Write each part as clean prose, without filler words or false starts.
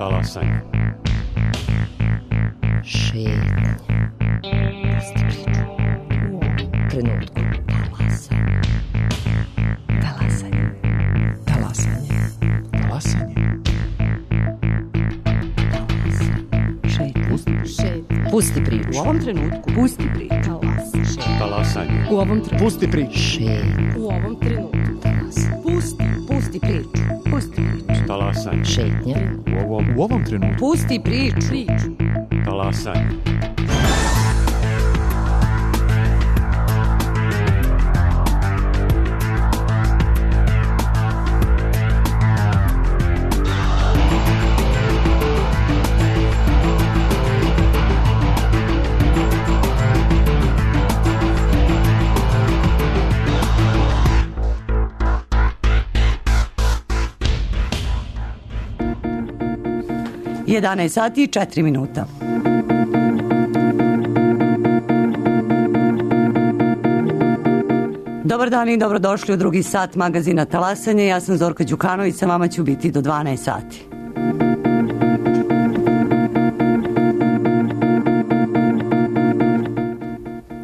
Talasanje. Šetnja. Pusti priču. U ovom trenutku. Talasanje. Talasanje. Talasanje. Šetnja. Pusti priču. U ovom trenutku. Pusti priču. Talasanje. U ovom trenutku. Pusti priču. Šetnja. U ovom trenutku. Pusti priču. Pusti priču. Talasanje. Šetnja. U ovom trenutku. Pusti priču. Talasanje. Jedanaest sati i 4 minuta. Dobar dan i dobrodošli u drugi sat magazina Talasanje. Ja sam Zorka Đukanović, sa vama ću biti do 12 sati.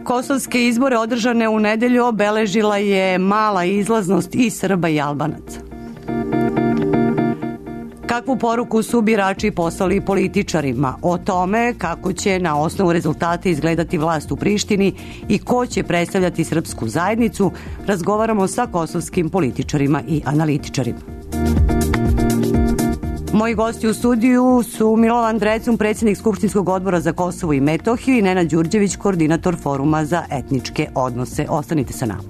Kosovske izbore održane u nedelju obeležila je mala izlaznost i Srba i Albanaca. Kakvu poruku su birači poslali političarima o tome kako će na osnovu rezultata izgledati vlast u Prištini i ko će predstavljati srpsku zajednicu, razgovaramo sa kosovskim političarima i analitičarima. Moji gosti u studiju su Milovan Drecun, predsjednik Skupštinskog odbora za Kosovo i Metohiju, i Nenad Đurđević, koordinator Foruma za etničke odnose. Ostanite sa nama.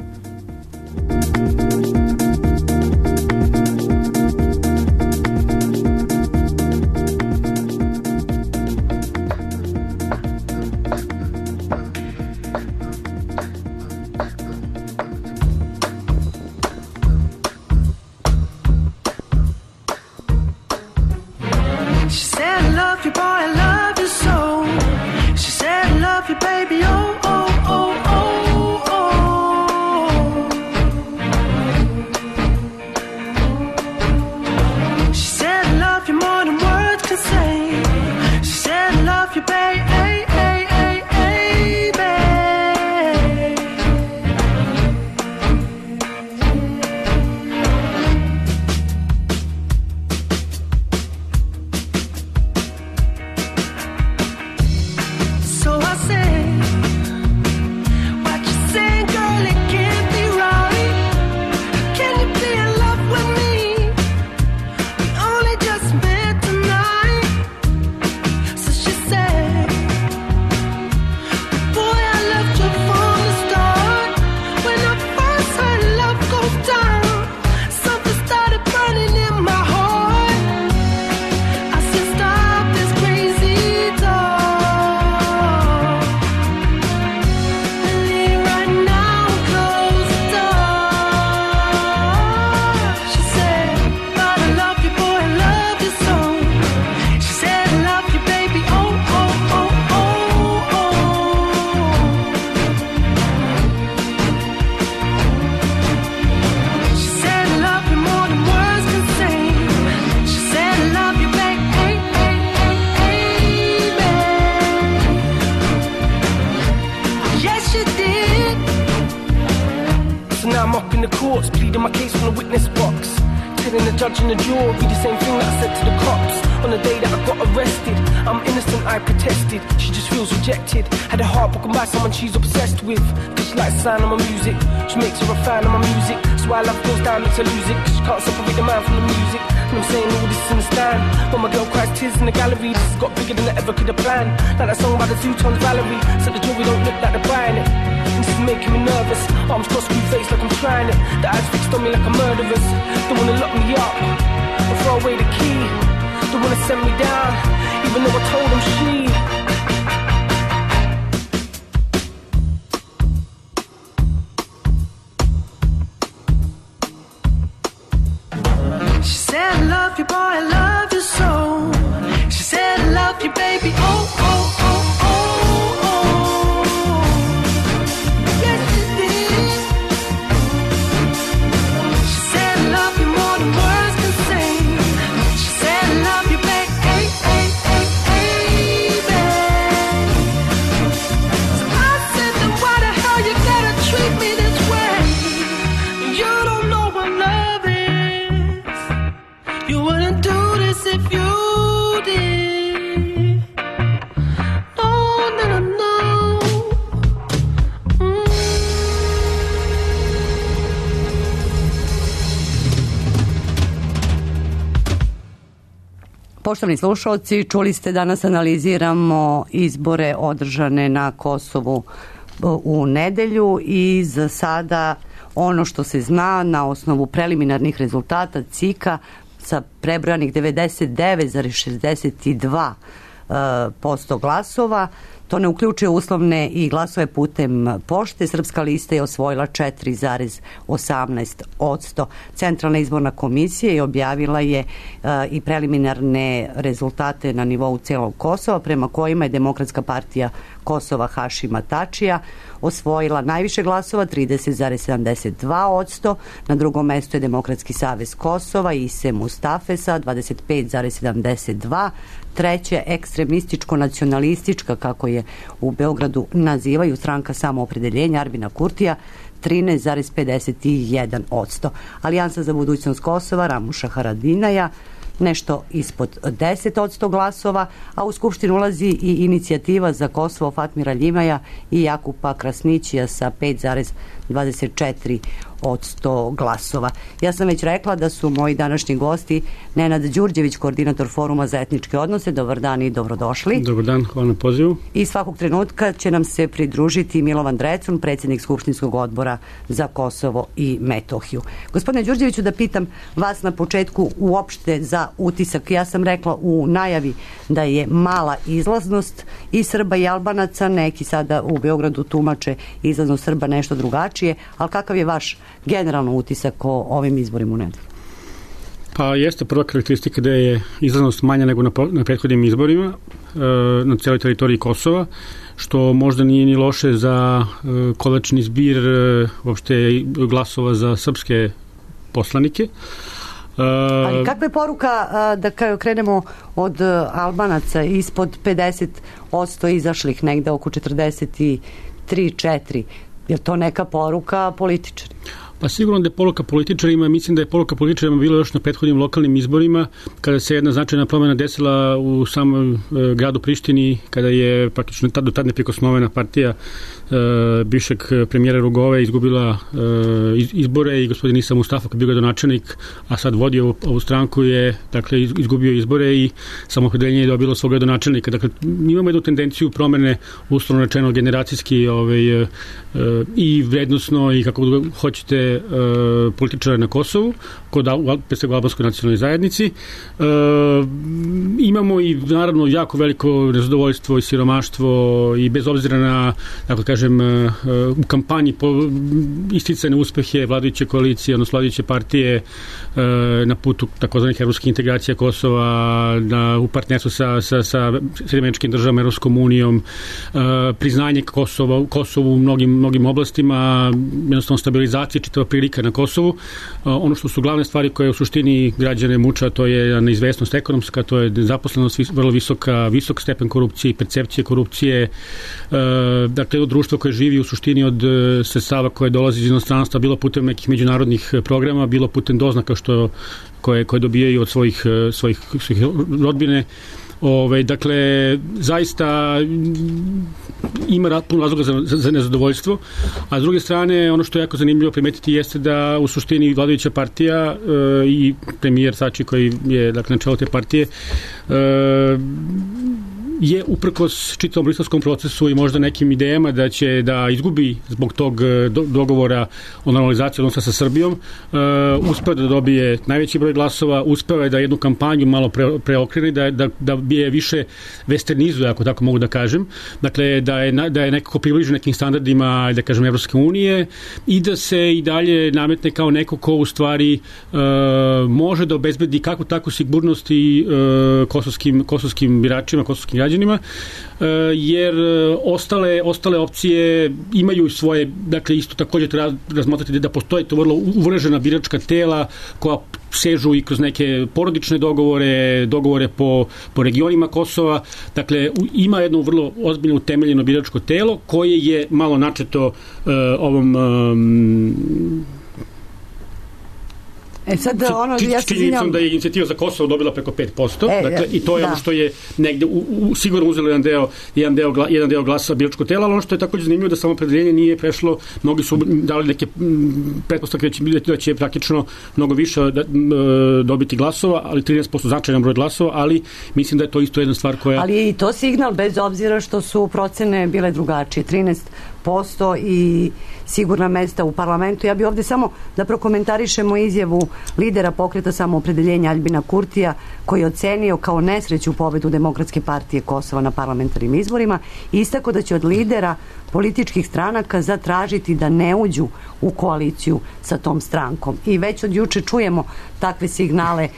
Judge in the jury, the same thing that I said to the cops on the day that I got arrested. I'm innocent, I protested. She just feels rejected. Had a heart broken by someone she's obsessed with. Cause she likes the sound of my music. She makes her a fan of my music. So why love goes down, makes her lose it. Cause she can't separate the man from the music. And I'm saying all this in the stand. When my girl cries tears in the gallery, this has got bigger than I ever could have planned. Like that song by the Zootons, Valerie. Said the jewelry don't look like they're buying it. And this is making me nervous. Arms crossed, screw face like I'm trying it. The eyes fixed on me like a murderer's. Don't wanna lock me up or throw away the key. Don't wanna send me down, even though I told them she said, I love you, boy, I love you so. She said, I love you, baby, oh, oh, oh, oh, oh. Yes, she did. She said, I love you more than words can say. She said, I love you, baby, hey, Poštovani slušalci, čuli ste, danas analiziramo izbore održane na Kosovu u nedelju i za sada ono što se zna na osnovu preliminarnih rezultata CIK-a sa prebrojanih 99,62% glasova. To ne uključuje uslovne i glasove putem pošte. Srpska lista je osvojila 4,18%. Centralna izborna komisija je objavila je i preliminarne rezultate na nivou celog Kosova, prema kojima je Demokratska partija Kosova Hašima Tačija osvojila najviše glasova, 30,72%. Na drugom mestu je Demokratski savez Kosova Ise Mustafesa, 25,72%. Treće, ekstremističko-nacionalistička, kako je u Beogradu nazivaju, stranka Samoopredeljenja Arbina Kurtija, 13,51%. Alijansa za budućnost Kosova Ramuša Haradinaja nešto ispod 10% glasova, a u Skupštinu ulazi i inicijativa za Kosovo Fatmira Ljimaja i Jakupa Krasnićija sa 5,24% glasova. Ja sam već rekla da su moji današnji gosti Nenad Đurđević, koordinator Foruma za etničke odnose. Dobar dan i dobrodošli. Dobar dan, hvala na pozivu. I svakog trenutka će nam se pridružiti Milovan Drecun, predsjednik Skupštinskog odbora za Kosovo i Metohiju. Gospodine Đurđeviću, da pitam vas na početku uopšte za utisak. Ja sam rekla u najavi da je mala izlaznost i Srba i Albanaca, neki sada u Beogradu tumače izlaznost Srba nešto drugačije, ali kakav je vaš generalno utisak o ovim izborima u nedelju? Pa jeste prva karakteristika da je izlaznost manja nego na prethodnim izborima na cijeloj teritoriji Kosova, što možda nije ni loše za konačni zbir uopšte glasova za srpske poslanike. Ali kakva je poruka, da krenemo od Albanaca, ispod 50% izašlih, negde oko 43-4%? Je to neka poruka političara? Pa sigurno da je poruka političarima, mislim da je poruka političarima bilo još na prethodnim lokalnim izborima, kada se jedna značajna promjena desila u samom gradu Prištini, kada je praktično do tad neprikosnovena partija bivšeg premijera Rugove izgubila izbore i gospodin Isa Mustafa, koji je bio gradonačelnik, a sad vodi ovu stranku, je dakle izgubio izbore i Samoopredeljenje je dobilo svog gradonačelnika. Dakle, imamo jednu tendenciju promene, uslovno rečeno generacijski i vrednosno i kako hoćete političara na Kosovu, kod albanskoj nacionalnoj zajednici. Imamo i naravno jako veliko nezadovoljstvo i siromaštvo i bez obzira na, tako kažem, u kampanji isticane uspehe vladajuće koalicije, odnosno vladajuće partije na putu takozvanih evropskih integracija Kosova, u partnerstvu sa Sjedinjenim državama, Evropskom unijom, priznanje Kosovu u mnogim oblastima, jednostavno stabilizacija čitava prilika na Kosovu. Ono što su glavne stvari koje u suštini građane muča, to je neizvesnost ekonomska, to je nezaposlenost vrlo visok stepen korupcije i percepcije korupcije. Dakle, društvo koje živi u suštini od sredstava koje dolazi iz inostranstva, bilo putem nekih međunarodnih programa, bilo putem doznaka koje dobijaju od svojih rodbine. Dakle, zaista ima puno razloga za nezadovoljstvo, a s druge strane, ono što je jako zanimljivo primetiti jeste da u suštini vladajuća partija i premijer Tači, koji je dakle, na čelu te partije, je uprkos čitavom briselskom procesu i možda nekim idejama da će da izgubi zbog tog dogovora o normalizaciji odnosa sa Srbijom, uspeo da dobije najveći broj glasova, uspeo je da jednu kampanju malo preokrene, da je više westernizuje, ako tako mogu da kažem, dakle da je nekako približen nekim standardima, da kažem, Evropske unije i da se i dalje nametne kao neko ko u stvari može da obezbedi kakvu takvu sigurnost i kosovskim biračima, kosovskim građanima, jer ostale opcije imaju svoje, dakle isto također treba razmotriti da postoje to vrlo uvržena biračka tela koja sežu i kroz neke porodične dogovore po regionima Kosova. Dakle, ima jedno vrlo ozbiljno utemeljeno biračko telo koje je malo načeto ovom sad ono, ja se činjenicom da je inicijativa za Kosovo dobila preko 5%, dakle, i to je ono što je negde sigurno uzelo jedan deo glasa biračkog tela, ali ono što je takođe zanimljivo da samoopredeljenje nije prešlo, mnogi su dali neke pretpostavke da će praktično mnogo više dobiti glasova, ali 13% značajan broj glasova, ali mislim da je to isto jedna stvar koja... Ali je i to signal, bez obzira što su procene bile drugačije, 13% i sigurna mesta u parlamentu. Ja bih ovde samo da prokomentarišemo izjavu lidera pokreta samoopredeljenja Aljbina Kurtija, koji je ocenio kao nesreću pobedu Demokratske partije Kosova na parlamentarnim izborima i istako da će od lidera političkih stranaka zatražiti da ne uđu u koaliciju sa tom strankom. I već od juče čujemo takve signale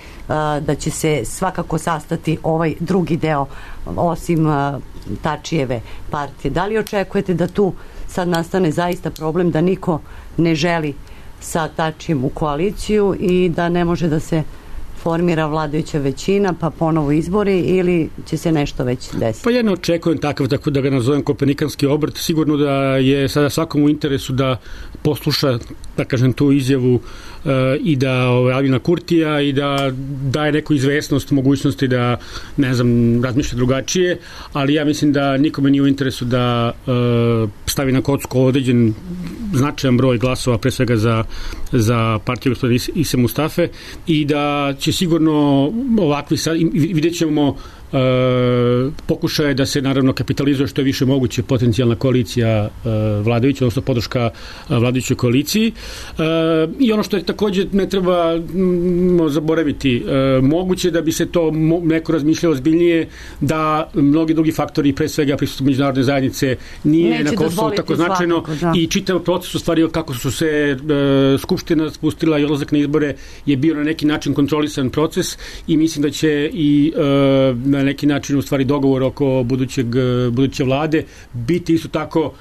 da će se svakako sastati ovaj drugi deo, osim Tačijeve partije. Da li očekujete da tu sad nastane zaista problem da niko ne želi sa Tačijem u koaliciju i da ne može da se formira vladajuća većina, pa ponovo izbori, ili će se nešto već desiti? Pa ja ne očekujem takav, tako da ga nazovem kopernikanski obrt. Sigurno da je sada svakom u interesu da posluša, da kažem, tu izjavu i da Aljbina Kurtija i da daje neku izvesnost mogućnosti da, ne znam, razmišlja drugačije, ali ja mislim da nikome nije u interesu da stavi na kocku određen značajan broj glasova, pre svega za partiju gospodina Ise Mustafe, i da će sigurno ovakvi sad, vidjet ćemo pokušaje da se naravno kapitalizuje što je više moguće potencijalna koalicija vladajuća, odnosno podrška vladajućoj koaliciji. I ono što je takođe ne treba zaboraviti, moguće da bi se to neko razmišljalo ozbiljnije, da mnogi drugi faktori, pre svega prisustvo međunarodne zajednice, nije na Kosovu tako značajno, i čitav proces u stvari kako su se Skupština spustila i odlazak na izbore je bio na neki način kontrolisan proces, i mislim da će i na neki način u stvari dogovor oko buduće vlade biti isto tako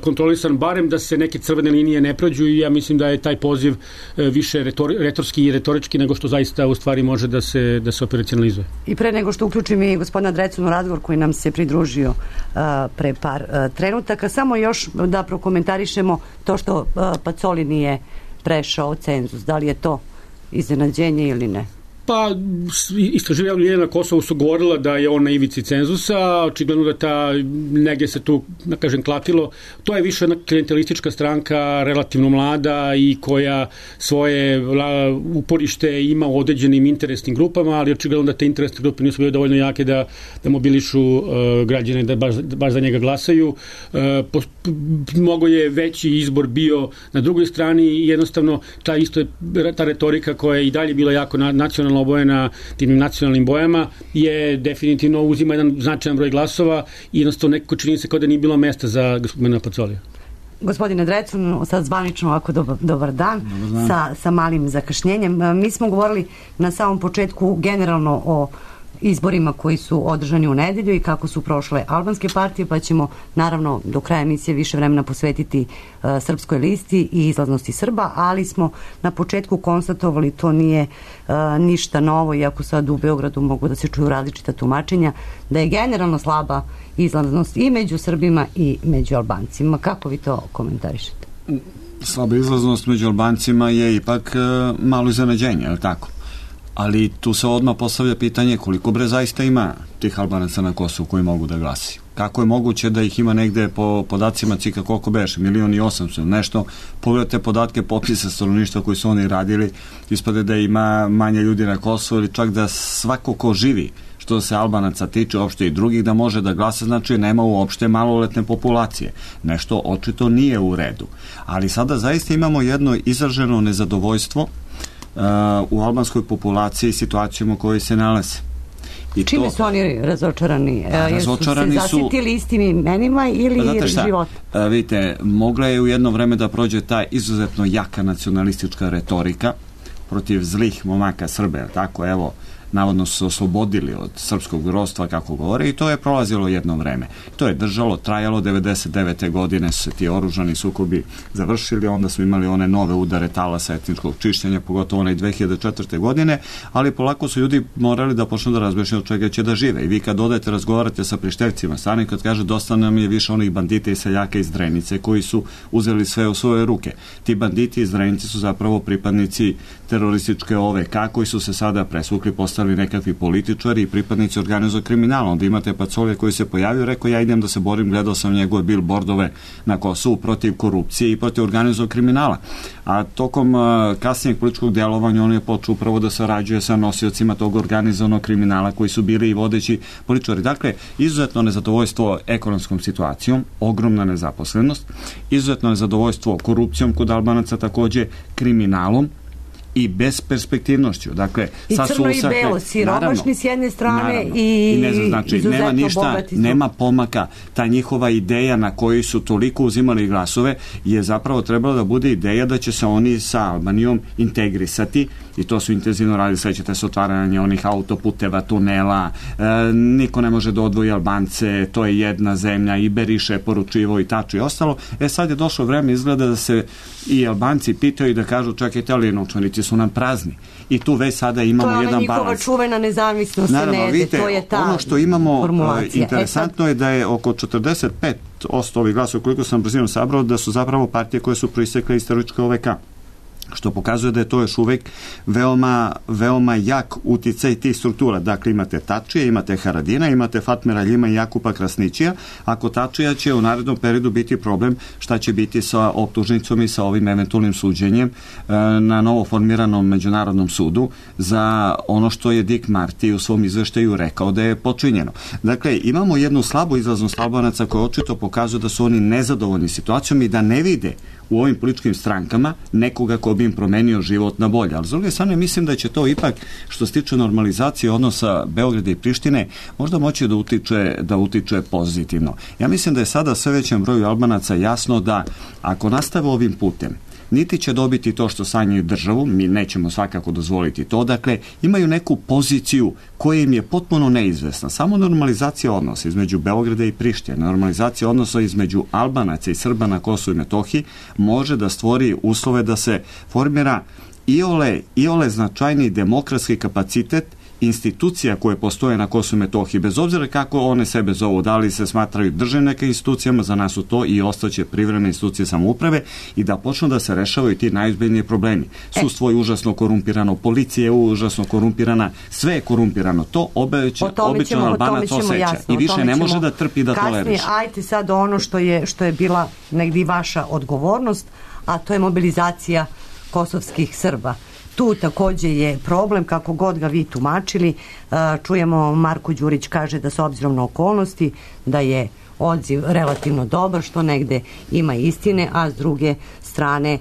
kontrolisan, barem da se neke crvene linije ne prođu, i ja mislim da je taj poziv više retorski i retorički nego što zaista u stvari može da se operacionalizuje. I pre nego što uključim i gospodina Drecuna u razgovor koji nam se pridružio pre par trenutaka, samo još da prokomentarišemo to što Pacoli nije prešao cenzus. Da li je to iznenađenje ili ne? Pa, istraživanja na Kosovu su govorila da je on na ivici cenzusa, očigledno da negdje se tu, da kažem, klatilo. To je više jedna klijentelistička stranka, relativno mlada i koja svoje uporište ima u određenim interesnim grupama, ali očigledno da te interesne grupe nisu bile dovoljno jake da mobilišu građane da baš za njega glasaju. Mnogo je veći izbor bio na drugoj strani i jednostavno ta retorika koja je i dalje bila jako nacionalna, obojena tim nacionalnim bojama, je definitivno uzima jedan značajan broj glasova i jednostavno nekako čini se kao da nije bilo mesta za gospodina Pacolija. Gospodine Drecun, sad zvanično ovako dobar dan, sa malim zakašnjenjem. Mi smo govorili na samom početku generalno o izborima koji su održani u nedelju i kako su prošle albanske partije, pa ćemo naravno do kraja emisije više vremena posvetiti Srpskoj listi i izlaznosti Srba, ali smo na početku konstatovali, to nije ništa novo, iako sad u Beogradu mogu da se čuju različita tumačenja, da je generalno slaba izlaznost i među Srbima i među Albancima. Kako vi to komentarišete? Slaba izlaznost među Albancima je ipak malo iznenađenje, je li tako? Ali tu se odmah postavlja pitanje koliko bre zaista ima tih Albanaca na Kosovu koji mogu da glasaju. Kako je moguće da ih ima negde po podacima cika koliko beše, 1.800.000 nešto, pogledajte podatke popisa stanovništva koji su oni radili, ispade da ima manje ljudi na Kosovu ili čak da svako ko živi, što se Albanaca tiče, uopšte i drugih, da može da glasa, znači nema uopšte maloletne populacije. Nešto očito nije u redu. Ali sada zaista imamo jedno izraženo nezadovoljstvo u albanskoj populaciji situacijom u kojoj se nalaze. Čime su oni razočarani? Razočarani su se zasitili istim imenima ili života? Vidite, mogla je u jedno vreme da prođe ta izuzetno jaka nacionalistička retorika protiv zlih momaka Srbe, tako evo, navodno su se oslobodili od srpskog ropstva, kako govore, i to je prolazilo jedno vreme. To je držalo, trajalo, 99. godine su se ti oružani sukobi završili, onda su imali one nove udare talasa etničkog čišćenja, pogotovo onaj 2004. godine, ali polako su ljudi morali da počnu da razmišljaju od čega će da žive. I vi kad odete, razgovarate sa Prištevcima, stvarno kad kaže dosta nam je više onih bandita i seljaka iz Drenice koji su uzeli sve u svoje ruke. Ti banditi iz Drenice su zapravo pripadnici terorističke OVK koji su se sada presvukli, postali nekakvi političari i pripadnici organizovanog kriminala. Onda imate Pacolija koji se pojavio, rekao ja idem da se borim, gledao sam njegove billboardove na Kosovu protiv korupcije i protiv organizovanog kriminala. A tokom kasnijeg političkog djelovanja on je počeo upravo da sarađuje sa nosiocima tog organizovanog kriminala koji su bili i vodeći političari. Dakle, izuzetno nezadovoljstvo ekonomskom situacijom, ogromna nezaposlenost, izuzetno nezadovoljstvo korupcijom kod Albanaca, takođe kriminalom i besperspektivnošću. Dakle, i crno i belo, siromašni s jedne strane i ne znam, znači, nema ništa, nema pomaka. Ta njihova ideja na kojoj su toliko uzimali glasove je zapravo trebala da bude ideja da će se oni sa Albanijom integrisati i to su intenzivno radili, svećate se otvaranje onih autoputeva, tunela, niko ne može da odvoji Albance, to je jedna zemlja, i Beriše je poručivo i taču i ostalo. Sad je došlo vreme, izgleda da se i Albanci pitaju i da kažu čekajte, ali novčanici su nam prazni. I tu već sada imamo jedan balans. To je njihova čuvena nezavisnost Senede, to je ta ono što imamo formulacija. Interesantno je da je oko 45% ovih glasova, koliko sam brzinom sabrao, da su zapravo partije koje su proistekle iz terorističke OVK, što pokazuje da je to još uvek veoma jak uticaj tih struktura. Dakle, imate Tačija, imate Haradina, imate Fatmira Ljima i Jakupa Krasnićija. Ako Tačija će u narednom periodu biti problem, šta će biti sa optužnicom i sa ovim eventualnim suđenjem na novo formiranom međunarodnom sudu za ono što je Dick Marty u svom izveštaju rekao da je počinjeno. Dakle, imamo jednu slabu izlaznost Albanaca koja očito pokazuje da su oni nezadovoljni situacijom i da ne vide u ovim političkim strankama nekoga ko bi im promenio život na bolje. Ali s druge strane mislim da će to ipak, što se tiče normalizacije odnosa Beograda i Prištine, možda moći da utiče pozitivno. Ja mislim da je sada sve većem broju Albanaca jasno da ako nastave ovim putem, niti će dobiti to što sanjaju državu, mi nećemo svakako dozvoliti to, dakle imaju neku poziciju koja im je potpuno neizvesna. Samo normalizacija odnosa između Beograda i Prištine, normalizacija odnosa između Albanaca i Srba na Kosovu i Metohiji može da stvori uslove da se formira iole značajni demokratski kapacitet institucija koje postoje na Kosovu i Metohiji, bez obzira kako one sebe zovu, da li se smatraju državnim nekim institucijama, za nas su to i ostaće privremene institucije samouprave i da počnu da se rešavaju ti najozbiljniji problemi. Sudstvo je užasno korumpirano, policija je užasno korumpirana, sve je korumpirano. To obično Albanac osjeća i više ne može da trpi da toleriše. Ajte sad ono što je bila negdje vaša odgovornost, a to je mobilizacija kosovskih Srba. Tu takođe je problem, kako god ga vi tumačili. Čujemo, Marko Đurić kaže da s obzirom na okolnosti da je odziv relativno dobar, što negde ima istine, a s druge strane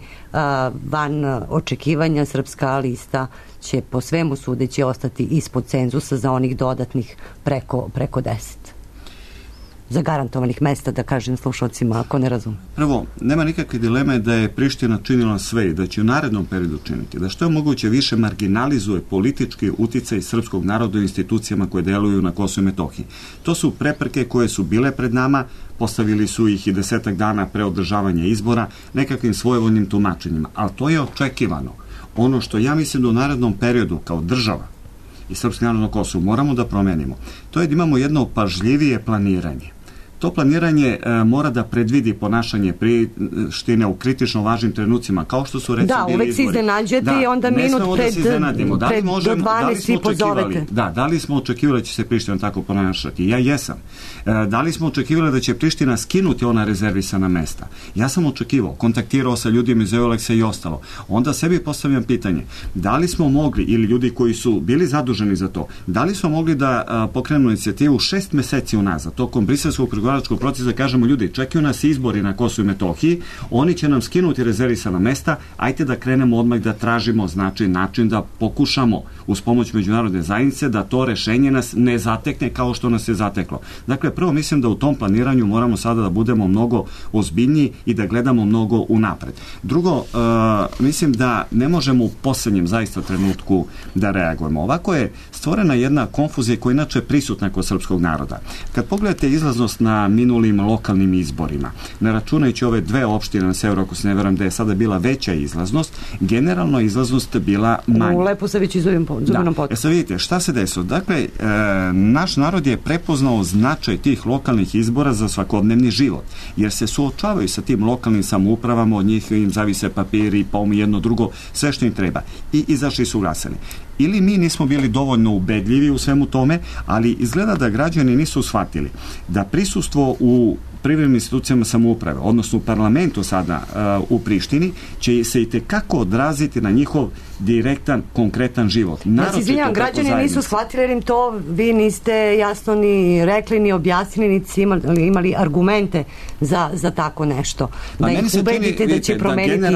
van očekivanja Srpska lista će po svemu sudeći ostati ispod cenzusa za onih dodatnih preko 10 zagarantovanih mesta, da kažem slušalcima ako ne razume. Prvo, nema nikakve dileme da je Priština činila sve i da će u narednom periodu činiti, da što je moguće više marginalizuje politički uticaj srpskog naroda u institucijama koje deluju na Kosovu i Metohiji. To su prepreke koje su bile pred nama, postavili su ih i 10 dana pre održavanja izbora nekakvim svojevoljnim tumačenjima, ali to je očekivano. Ono što ja mislim da u narednom periodu kao država i srpski narod na Kosovu moramo da promenimo, to je da imamo jedno pažljivije planiranje. To planiranje mora da predvidi ponašanje Prištine u kritično važnim trenucima, kao što su recimo bili izbori. Da, uvek se iznenađete i onda minut pred do 12 i pozovete. Da li smo očekivali da će se Priština tako ponašati? Ja jesam. Da li smo očekivali da će Priština skinuti ona rezervisana mesta? Ja sam očekivao, kontaktirao sa ljudima iz Euleksa i ostalo. Onda sebi postavljam pitanje, da li smo mogli, ili ljudi koji su bili zaduženi za to, da li smo mogli da pokrenemo inicijativu 6 meseci unazad, tokom briselskog pregovaranja pregovaračkog procesa, kažemo ljudi, čekaju nas izbori na Kosovu i Metohiji, oni će nam skinuti rezervisana mesta, ajte da krenemo odmah da tražimo način da pokušamo uz pomoć međunarodne zajednice da to rešenje nas ne zatekne kao što nas je zateklo. Dakle, prvo mislim da u tom planiranju moramo sada da budemo mnogo ozbiljniji i da gledamo mnogo unapred. Drugo, mislim da ne možemo u poslednjem zaista trenutku da reagujemo. Ovako je stvorena jedna konfuzija koja je inače prisutna kod srpskog naroda. Kad pogledate izlaznost na minulim lokalnim izborima, ne računajući ove dve opštine na severu, ako se ne veram da je sada bila veća izlaznost, generalno izlaznost bila manja. U Leposaviću i Zubinom Potoku. Sad vidite, šta se desilo? Dakle, naš narod je prepoznao značaj tih lokalnih izbora za svakodnevni život, jer se suočavaju sa tim lokalnim samoupravama, od njih im zavise papiri, jedno drugo, sve što im treba. I izašli su glasani. Ili mi nismo bili dovoljno ubedljivi u svemu tome, ali izgleda da građani nisu shvatili da prisustvo u privremenim institucijama samouprave, odnosno u parlamentu sada u Prištini, će se itekako odraziti na njihov direktan, konkretan život. Ja se izvinjam, građani nisu shvatili jer im to vi niste jasno ni rekli, ni objasnili, niti imali argumente za tako nešto. Da ih ubedite da će promeniti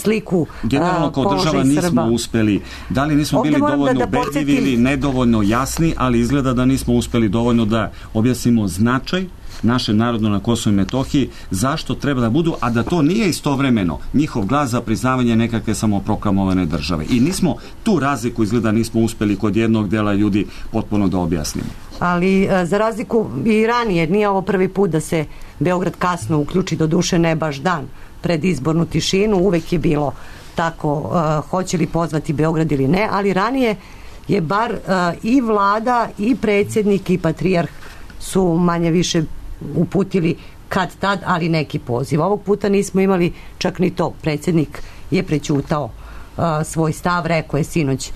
sliku generalno kao država nismo uspeli. Da li nismo bili dovoljno ubedljivi ili nedovoljno jasni, ali izgleda da nismo uspeli dovoljno da objasnimo značaj naše narodno na Kosovu i Metohiji, zašto treba da budu, a da to nije istovremeno njihov glas za priznavanje nekakve samoproklamovane države. I nismo tu razliku izgleda nismo uspeli kod jednog dela ljudi potpuno da objasnimo. Ali za razliku i ranije, nije ovo prvi put da se Beograd kasno uključi, do duše ne baš dan pred izbornu tišinu, uvek je bilo tako, hoće li pozvati Beograd ili ne, ali ranije je bar i vlada i predsjednik i patrijarh su manje više uputili kad tad, ali neki poziv. Ovog puta nismo imali čak ni to. Predsjednik je prećutao svoj stav, rekao je sinoć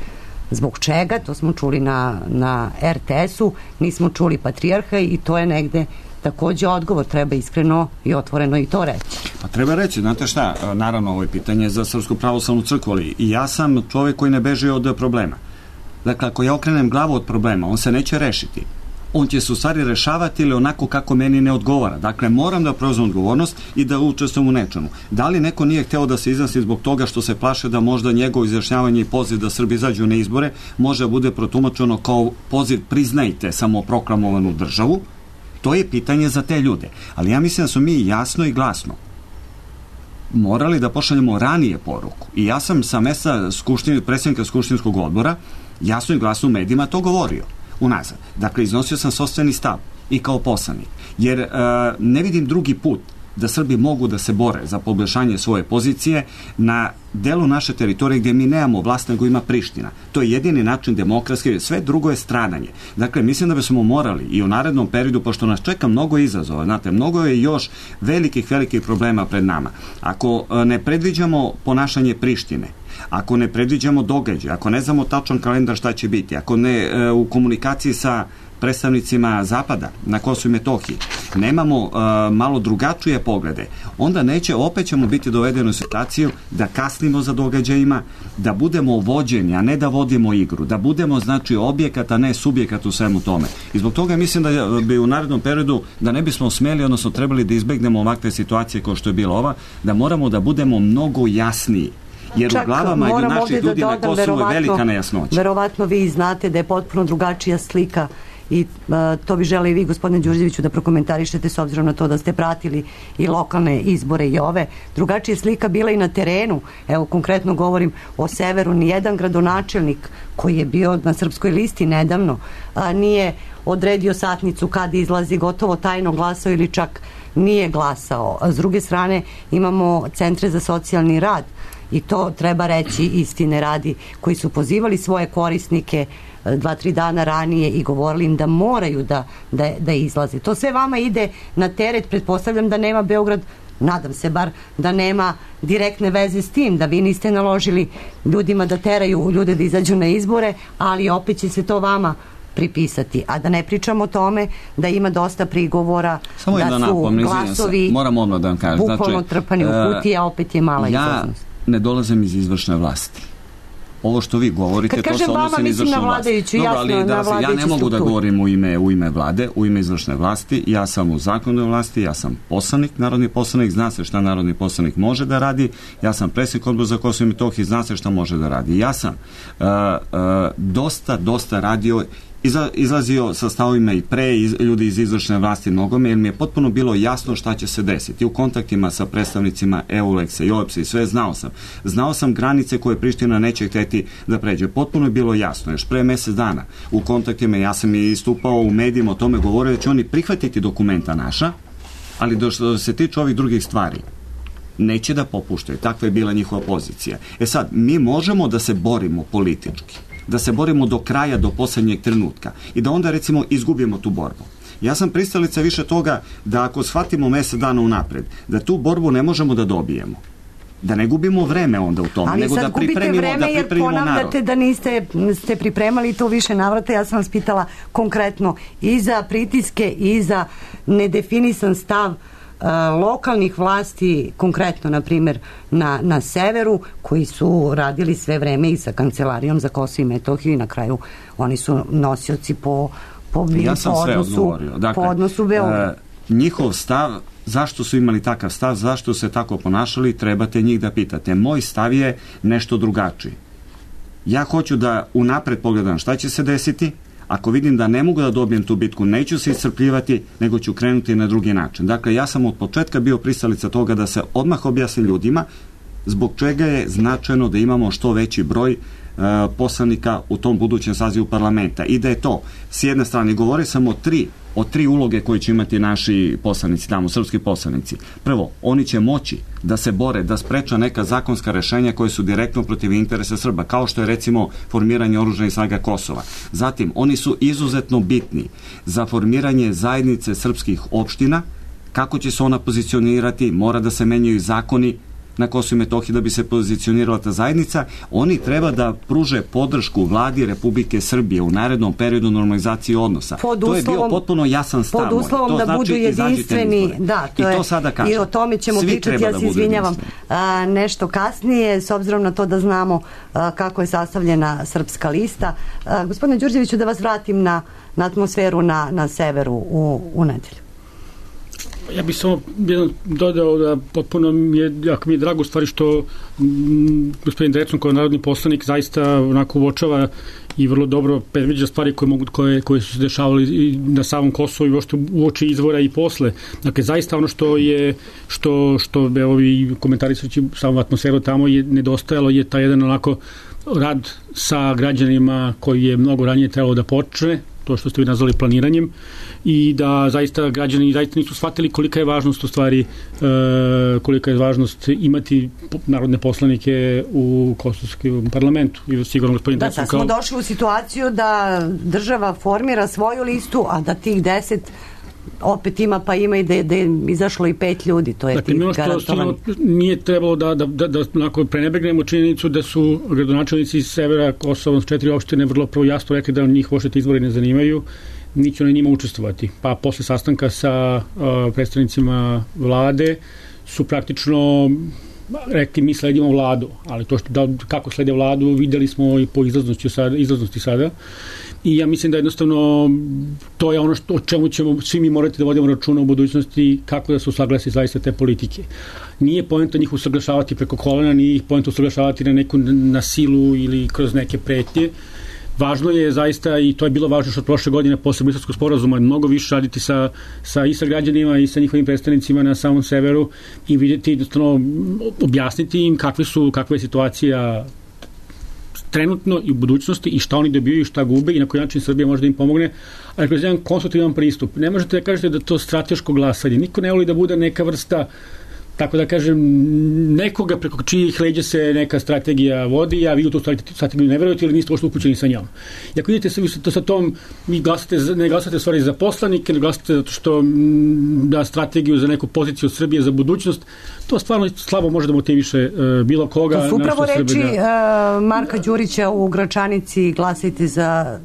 zbog čega, to smo čuli na RTS-u, nismo čuli patrijarha i to je negde takođe odgovor, treba iskreno i otvoreno i to reći. Pa treba reći, znate šta, naravno ovo je pitanje za Srpsku pravoslavnu crkvu, ali i ja sam čovjek koji ne beži od problema. Dakle, ako ja okrenem glavu od problema, on se neće rešiti. On će se u stvari rešavati ili onako kako meni ne odgovara. Dakle, moram da preuzmem odgovornost i da učestvujem u nečemu. Da li neko nije hteo da se izjasni zbog toga što se plaše da možda njegovo izjašnjavanje i poziv da Srbi izađu na izbore može da bude protumačeno kao poziv priznajte samoproklamovanu državu? To je pitanje za te ljude. Ali ja mislim da smo mi jasno i glasno morali da pošaljemo ranije poruku. I ja sam sa mesta predsjednika Skupštinskog odbora jasno i glasno u medijima to govorio. Unazad. Dakle, iznosio sam sopstveni stav i kao poslanik. Jer ne vidim drugi put da Srbi mogu da se bore za poboljšanje svoje pozicije na delu naše teritorije gdje mi nemamo vlast, nego ima Priština. To je jedini način demokratski, sve drugo je stradanje. Dakle, mislim da bismo morali i u narednom periodu, pošto nas čeka mnogo izazova, znate, mnogo je još velikih problema pred nama. Ako ne predviđamo ponašanje Prištine, ako ne predviđamo događaj, ako ne znamo tačan kalendar šta će biti, ako ne u komunikaciji sa predstavnicima Zapada na Kosovu i Metohiji nemamo malo drugačije poglede, onda opet ćemo biti dovedeni u situaciju da kasnimo za događajima, da budemo vođeni, a ne da vodimo igru, da budemo znači objekat, a ne subjekat u svemu tome. I zbog toga mislim da bi u narednom periodu, da ne bismo smeli, odnosno trebali da izbegnemo ovakve situacije kao što je bila ova, da moramo da budemo mnogo jasniji. Jer čak u glavama naših ljudi na Kosovu je velika nejasnoća. Verovatno vi znate da je potpuno drugačija slika i to bi žele i vi, gospodine Đurđeviću, da prokomentarišete s obzirom na to da ste pratili i lokalne izbore i ove. Drugačija slika bila i na terenu. Evo, konkretno govorim o severu. Nijedan gradonačelnik koji je bio na srpskoj listi nedavno nije odredio satnicu kad izlazi, gotovo tajno glasao ili čak nije glasao. S druge strane imamo centre za socijalni rad i to treba reći istine radi, koji su pozivali svoje korisnike 2-3 dana ranije i govorili im da moraju da izlaze. To sve vama ide na teret, pretpostavljam da nema Beograd, nadam se bar da nema direktne veze s tim, da vi niste naložili ljudima da teraju ljude da izađu na izbore, ali opet će se to vama pripisati. A da ne pričamo o tome da ima dosta prigovora da su glasovi bukvalno trpani u kutije, a opet je mala izlaznost. Ne dolazim iz izvršne vlasti. Ovo što vi govorite, to se odnosi na izvršnu vlast. Dobro, ali ja ne mogu da govorim u ime vlade, u ime izvršne vlasti. Ja sam u zakonodavnoj vlasti, ja sam poslanik, narodni poslanik, zna se šta narodni poslanik može da radi. Ja sam predsjednik Odbora za Kosovo i Metohiju, zna se šta može da radi. Ja sam dosta radio, izlazio sa stavovima i pre ljudi iz izvršne vlasti mnogome, jer mi je potpuno bilo jasno šta će se desiti. U kontaktima sa predstavnicima EULEX-a i OEBS-a i sve znao sam granice koje Priština neće hteti da pređe. Potpuno je bilo jasno, još pre mesec dana u kontaktima, ja sam i istupao u medijima o tome, govorio da će oni prihvatiti dokumenta naša, ali da se tiče ovih drugih stvari neće da popuštaju. Takva je bila njihova pozicija. Sad, mi možemo da se borimo politički, da se borimo do kraja, do poslednjeg trenutka i da onda recimo izgubimo tu borbu. Ja sam pristalica više toga da ako shvatimo mesec dana unapred, da tu borbu ne možemo da dobijemo. Da ne gubimo vreme onda u tome, nego da pripremimo narod. Ali sad gubite vreme jer ponavljate da niste pripremali to više navrata. Ja sam vas pitala konkretno i za pritiske i za nedefinisan stav lokalnih vlasti, konkretno na primjer na severu, koji su radili sve vreme i sa Kancelarijom za Kosovo i Metohiju i na kraju oni su nosioci po odnosu Beograda. Njihov stav, zašto su imali takav stav, zašto se tako ponašali, trebate njih da pitate. Moj stav je nešto drugačiji. Ja hoću da unapred pogledam šta će se desiti. Ako vidim da ne mogu da dobijem tu bitku, neću se iscrpljivati, nego ću krenuti na drugi način. Dakle, ja sam od početka bio pristalica toga da se odmah objasni ljudima zbog čega je značajno da imamo što veći broj poslanika u tom budućem sazivu parlamenta. I da je to, s jedne strane, govore sam o tri uloge koje će imati naši poslanici tamo, srpski poslanici. Prvo, oni će moći da se bore, da spreča neka zakonska rešenja koje su direktno protiv interesa Srba, kao što je recimo formiranje oružanih snaga Kosova. Zatim, oni su izuzetno bitni za formiranje zajednice srpskih opština. Kako će se ona pozicionirati, mora da se menjaju zakoni na Kosovu i Metohiji da bi se pozicionirala ta zajednica. Oni treba da pruže podršku vladi Republike Srbije u narednom periodu normalizacije odnosa. To je bio potpuno jasan stav. Pod uslovom da budu jedinstveni. Da, i to sada kažem. I o tome ćemo pričati, ja se izvinjavam nešto kasnije, s obzirom na to da znamo kako je sastavljena srpska lista. Gospodine Đurđeviću, da vas vratim na atmosferu na severu u nedelju. Ja bih samo dodao da potpuno jako mi je drago stvari što gospodin Drecun kao narodni poslanik zaista onako uočava i vrlo dobro predviđa stvari koje su se dešavali i na samom Kosovu i uoči izvora i posle. Dakle, zaista ono što ovi komentarisajući samu atmosferu tamo je nedostajalo je taj jedan onako rad sa građanima koji je mnogo ranije trebalo da počne, to što ste vi nazvali planiranjem, i da zaista građani zaista nisu shvatili kolika je važnost u stvari, kolika je važnost imati narodne poslanike u kosovskom parlamentu. I sigurno gospodin da, sad smo došli u situaciju da država formira svoju listu, a da tih 10 opet ima, pa ima i da je izašlo i 5 ljudi, to je dakle, tih garantovani. Nije trebalo da prenebegnemo činjenicu da su gradonačelnici iz severa Kosova, 4 opštine, vrlo prvo jasno rekli da njih uopšte izbori ne zanimaju, niće oni njima učestvovati. Pa posle sastanka sa predstavnicima vlade su praktično rekli mi sledimo vladu, ali to kako slede vladu videli smo i po izlaznosti sada. I ja mislim da jednostavno to je ono o čemu ćemo svi mi morati da vodimo računa u budućnosti, kako da se usaglasi zaista te politike. Nije poenta njih usaglašavati preko kolena, nije ih poenta usaglašavati na silu ili kroz neke pretnje. Važno je zaista, i to je bilo važno što od prošle godine posle Briselskog sporazuma, mnogo više raditi i sa građanima i sa njihovim predstavnicima na samom severu i vidjeti, jednostavno objasniti im kakva je situacija trenutno i u budućnosti i šta oni dobiju i šta gube i na koji način Srbija može da im pomogne, ali kroz jedan konstruktivan pristup. Ne možete da kažete da to strateško glasanje. Niko ne voli da bude neka vrsta, tako da kažem, nekoga preko čijih leđa se neka strategija vodi, a vi u tu strategiju ne verujete ili niste uopšte upućeni sa njom. I ako vidite sa tom, ne glasate stvari za poslanike, ne glasate zato što da strategiju za neku poziciju od Srbije za budućnost, to stvarno slabo može da motiviše bilo koga. To su upravo reči Marka Đurića u Gračanici, glasajte za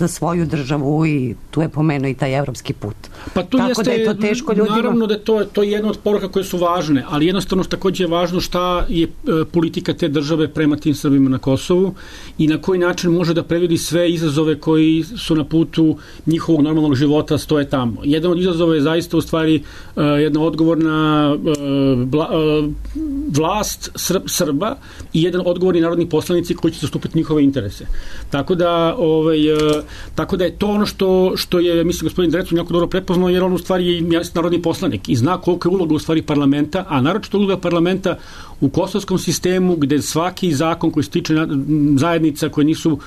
svoju državu, i tu je pomenuo i taj evropski put. Pa to tako jeste, da je to teško ljudima. Naravno da je to je jedna od poruka koje su važne, ali jednostavno takođe je važno šta je politika te države prema tim Srbima na Kosovu i na koji način može da previdi sve izazove koji su na putu njihovog normalnog života stoje tamo. Jedan od izazova je zaista u stvari jedna odgovorna vlast Srba i jedan odgovorni narodni poslanici koji će zastupiti njihove interese. Tako da je to ono što je, mislim, gospodin Drecun jako dobro prepoznao, jer on u stvari je narodni poslanik i zna koliko je uloga u stvari parlamenta, a naročito uloga parlamenta u kosovskom sistemu, gde svaki zakon koji se tiče zajednica koje nisu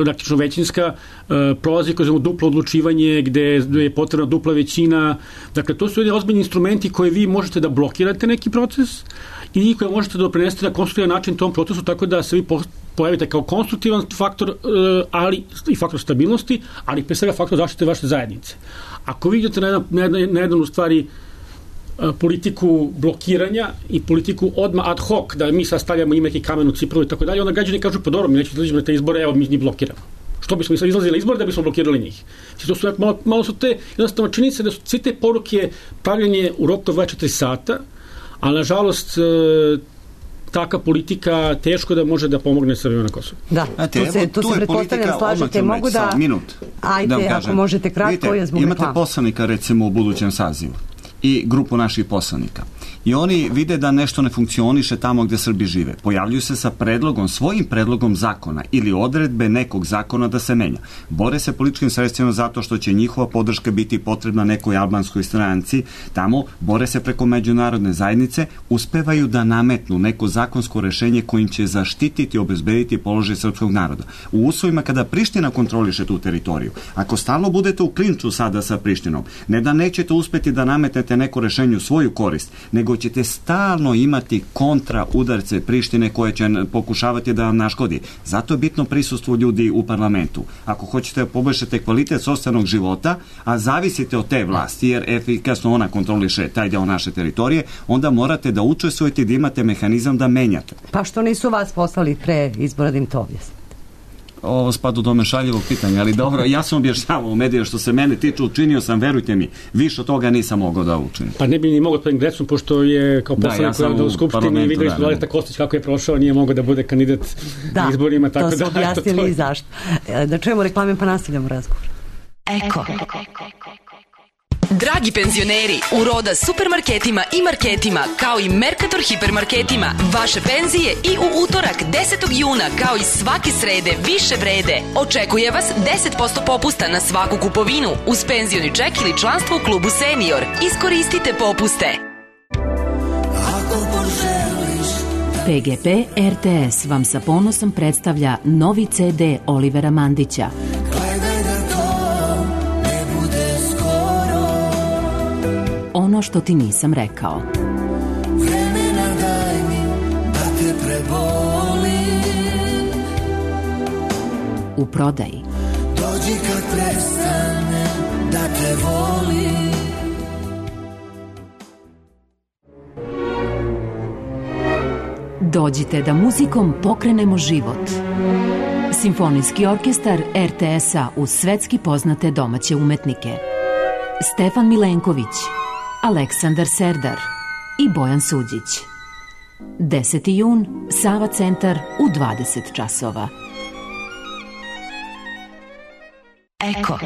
praktično većinska, prolazi kroz duplo odlučivanje, gde je potrebna dupla većina. Dakle, to su jedni ozbiljni instrumenti koje vi možete da blokirate neki proces i koje možete da doprinesete na konstruktivan način tom procesu, tako da se vi pojavite kao konstruktivan faktor, ali i faktor stabilnosti, ali pre svega faktor zaštite vaše zajednice. Ako vi idete na jedan u stvari politiku blokiranja i politiku odmah ad hoc, da mi sad stavljamo ime i kamen u cipru i tako dalje, onda građani kažu, pa dobro, mi nećemo izlažimo na te izbore, evo mi njih blokiramo. Što bismo sad izlazili na izbore da bismo blokirali njih? To su malo su te, jednostavno činjenice da su sve te poruke pravljanje u roku 24 sata, a nažalost taka politika teško da može da pomogne Srbima na Kosovu. Da, tu se pretpostavljam, slažete, mogu da... Ajde, ako možete kratko, je zbog reklama. Imate poslanika, recimo, u budućem sazivu i grupu naših poslanika. I oni vide da nešto ne funkcioniše tamo gde Srbi žive. Pojavljuju se sa svojim predlogom zakona ili odredbe nekog zakona da se menja. Bore se političkim sredstvima zato što će njihova podrška biti potrebna nekoj albanskoj stranci. Tamo bore se preko međunarodne zajednice, uspevaju da nametnu neko zakonsko rešenje kojim će zaštititi i obezbediti položaj srpskog naroda. U uslovima kada Priština kontroliše tu teritoriju, ako stalno budete u klinču sada sa Prištinom, ne da nećete uspeti da nametnete neko rešenje u svoju korist, nego ćete stalno imati kontra udarce Prištine koje će pokušavati da vam naškodi. Zato je bitno prisustvo ljudi u parlamentu. Ako hoćete da poboljšate kvalitet sopstvenog života, a zavisite od te vlasti, jer efikasno ona kontroliše taj deo naše teritorije, onda morate da učestvujete i da imate mehanizam da menjate. Pa što nisu vas poslali pre izbora da im to objasnite? Ovo spada u domen šaljivog pitanja, ali dobro, ja sam objašnjavao u mediju što se mene tiče, učinio sam, verujte mi, više od toga nisam mogao da učinim. Pa ne bi ni mogao gospodin Drecun, pošto je kao poslanik u Skupštini, videli smo Valeta Kostić kako je prošao, nije mogao da bude kandidat na izborima. Da, to su objasnili i zašto. Da čujemo reklame pa nastavljamo razgovor. Eko. Dragi penzioneri, u Roda supermarketima i marketima, kao i Mercator hipermarketima, vaše penzije i u utorak 10. juna, kao i svake srede, više vrede. Očekuje vas 10% popusta na svaku kupovinu, uz penzioni ček ili članstvo u klubu Senior. Iskoristite popuste. PGP RTS vam sa ponosom predstavlja novi CD Olivera Mandića. Ono što ti nisam rekao. Vremena daj mi da te prebolim. U prodaji. Dođi kad prestane da te volim. Dođite da muzikom pokrenemo život. Simfonijski orkestar RTS-a uz svetski poznate domaće umetnike. Stefan Milenković, Aleksandar Serdar i Bojan Suđić. 10. jun, Sava centar u 20 časova. Eko.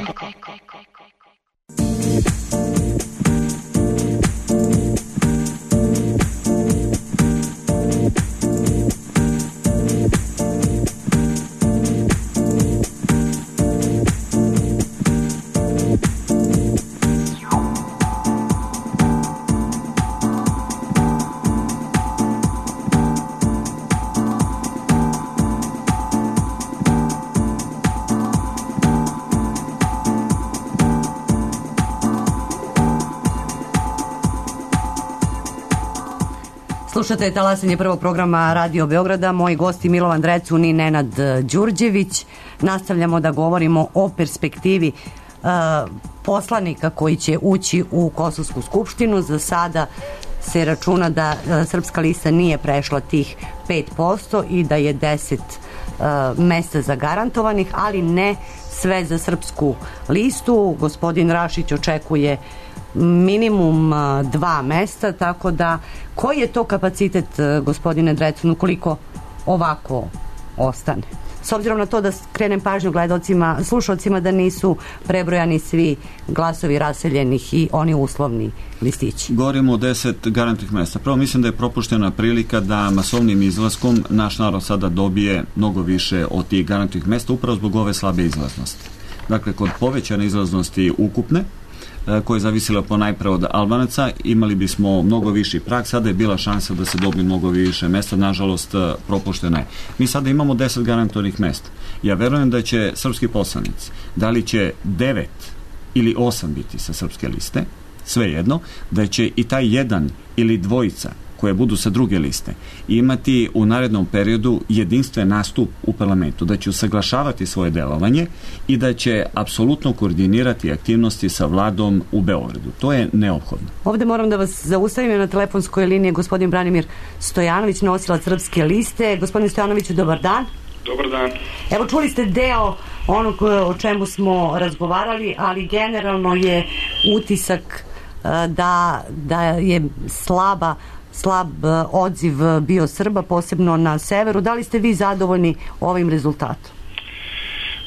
Slušate talasanje prvog programa Radio Beograda. Moji gosti Milovan Drecun i Nenad Đurđević. Nastavljamo da govorimo o perspektivi poslanika koji će ući u Kosovsku skupštinu. Za sada se računa da Srpska lista nije prešla tih 5% i da je 10 mesta zagarantovanih, ali ne sve za Srpsku listu. Gospodin Rašić očekuje minimum 2 mesta, tako da koji je to kapacitet, gospodine Drecun, ukoliko ovako ostane? S obzirom na to da skrenem pažnju gledalcima, slušalcima da nisu prebrojani svi glasovi raseljenih i oni uslovni listići. Govorimo o 10 garantnih mesta. Prvo mislim da je propuštena prilika da masovnim izlaskom naš narod sada dobije mnogo više od tih garantnih mesta upravo zbog ove slabe izlaznosti. Dakle, kod povećane izlaznosti ukupne, koja je zavisila ponajpre od Albanaca, imali bismo mnogo viši prag, sada je bila šansa da se dobije mnogo više mesta, nažalost propuštena je. Mi sada imamo 10 garantovanih mesta. Ja verujem da će srpski poslanici, da li će 9 ili 8 biti sa srpske liste, svejedno, da će i taj jedan ili dvojica koje budu sa druge liste imati u narednom periodu jedinstven nastup u parlamentu, da će usaglašavati svoje delovanje i da će apsolutno koordinirati aktivnosti sa vladom u Beogradu. To je neophodno. Ovde moram da vas zaustavim, na telefonskoj liniji gospodin Branimir Stojanović, nosilac Srpske liste. Gospodin Stojanoviću, dobar dan. Dobar dan. Evo, čuli ste deo onog o čemu smo razgovarali, ali generalno je utisak da je slab odziv bio Srba, posebno na severu. Da li ste vi zadovoljni ovim rezultatom?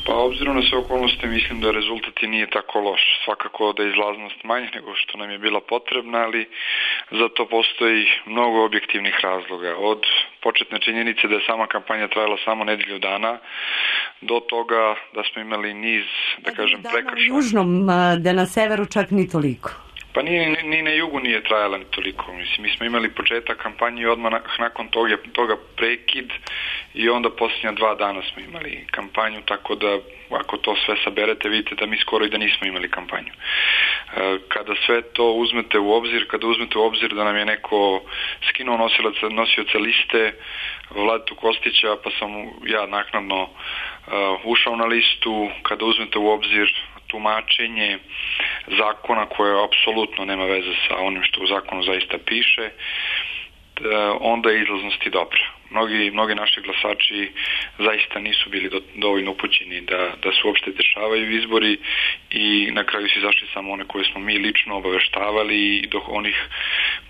Pa obzirom na sve okolnosti mislim da rezultat i nije tako loš. Svakako da je izlaznost manja nego što nam je bila potrebna, ali za to postoji mnogo objektivnih razloga. Od početne činjenice da je sama kampanja trajala samo nedelju dana, do toga da smo imali niz, da kažem, prekršaja. U južnom, da na severu čak ni toliko. Pa ni na jugu nije trajala ni toliko. Mislim, mi smo imali početak kampanje i odmah nakon toga prekid i onda posljednja 2 dana smo imali kampanju, tako da ako to sve saberete vidite da mi skoro i da nismo imali kampanju. Kada sve to uzmete u obzir, da nam je neko skinuo nosioca liste Vladetu Kostića, pa sam ja naknadno ušao na listu, kada uzmete u obzir tumačenje zakona koje apsolutno nema veze sa onim što u zakonu zaista piše, onda je izlaznost i dobra. Mnogi naši glasači zaista nisu bili dovoljno upućeni da se uopšte dešavaju izbori i na kraju su izašli samo one koje smo mi lično obaveštavali i do onih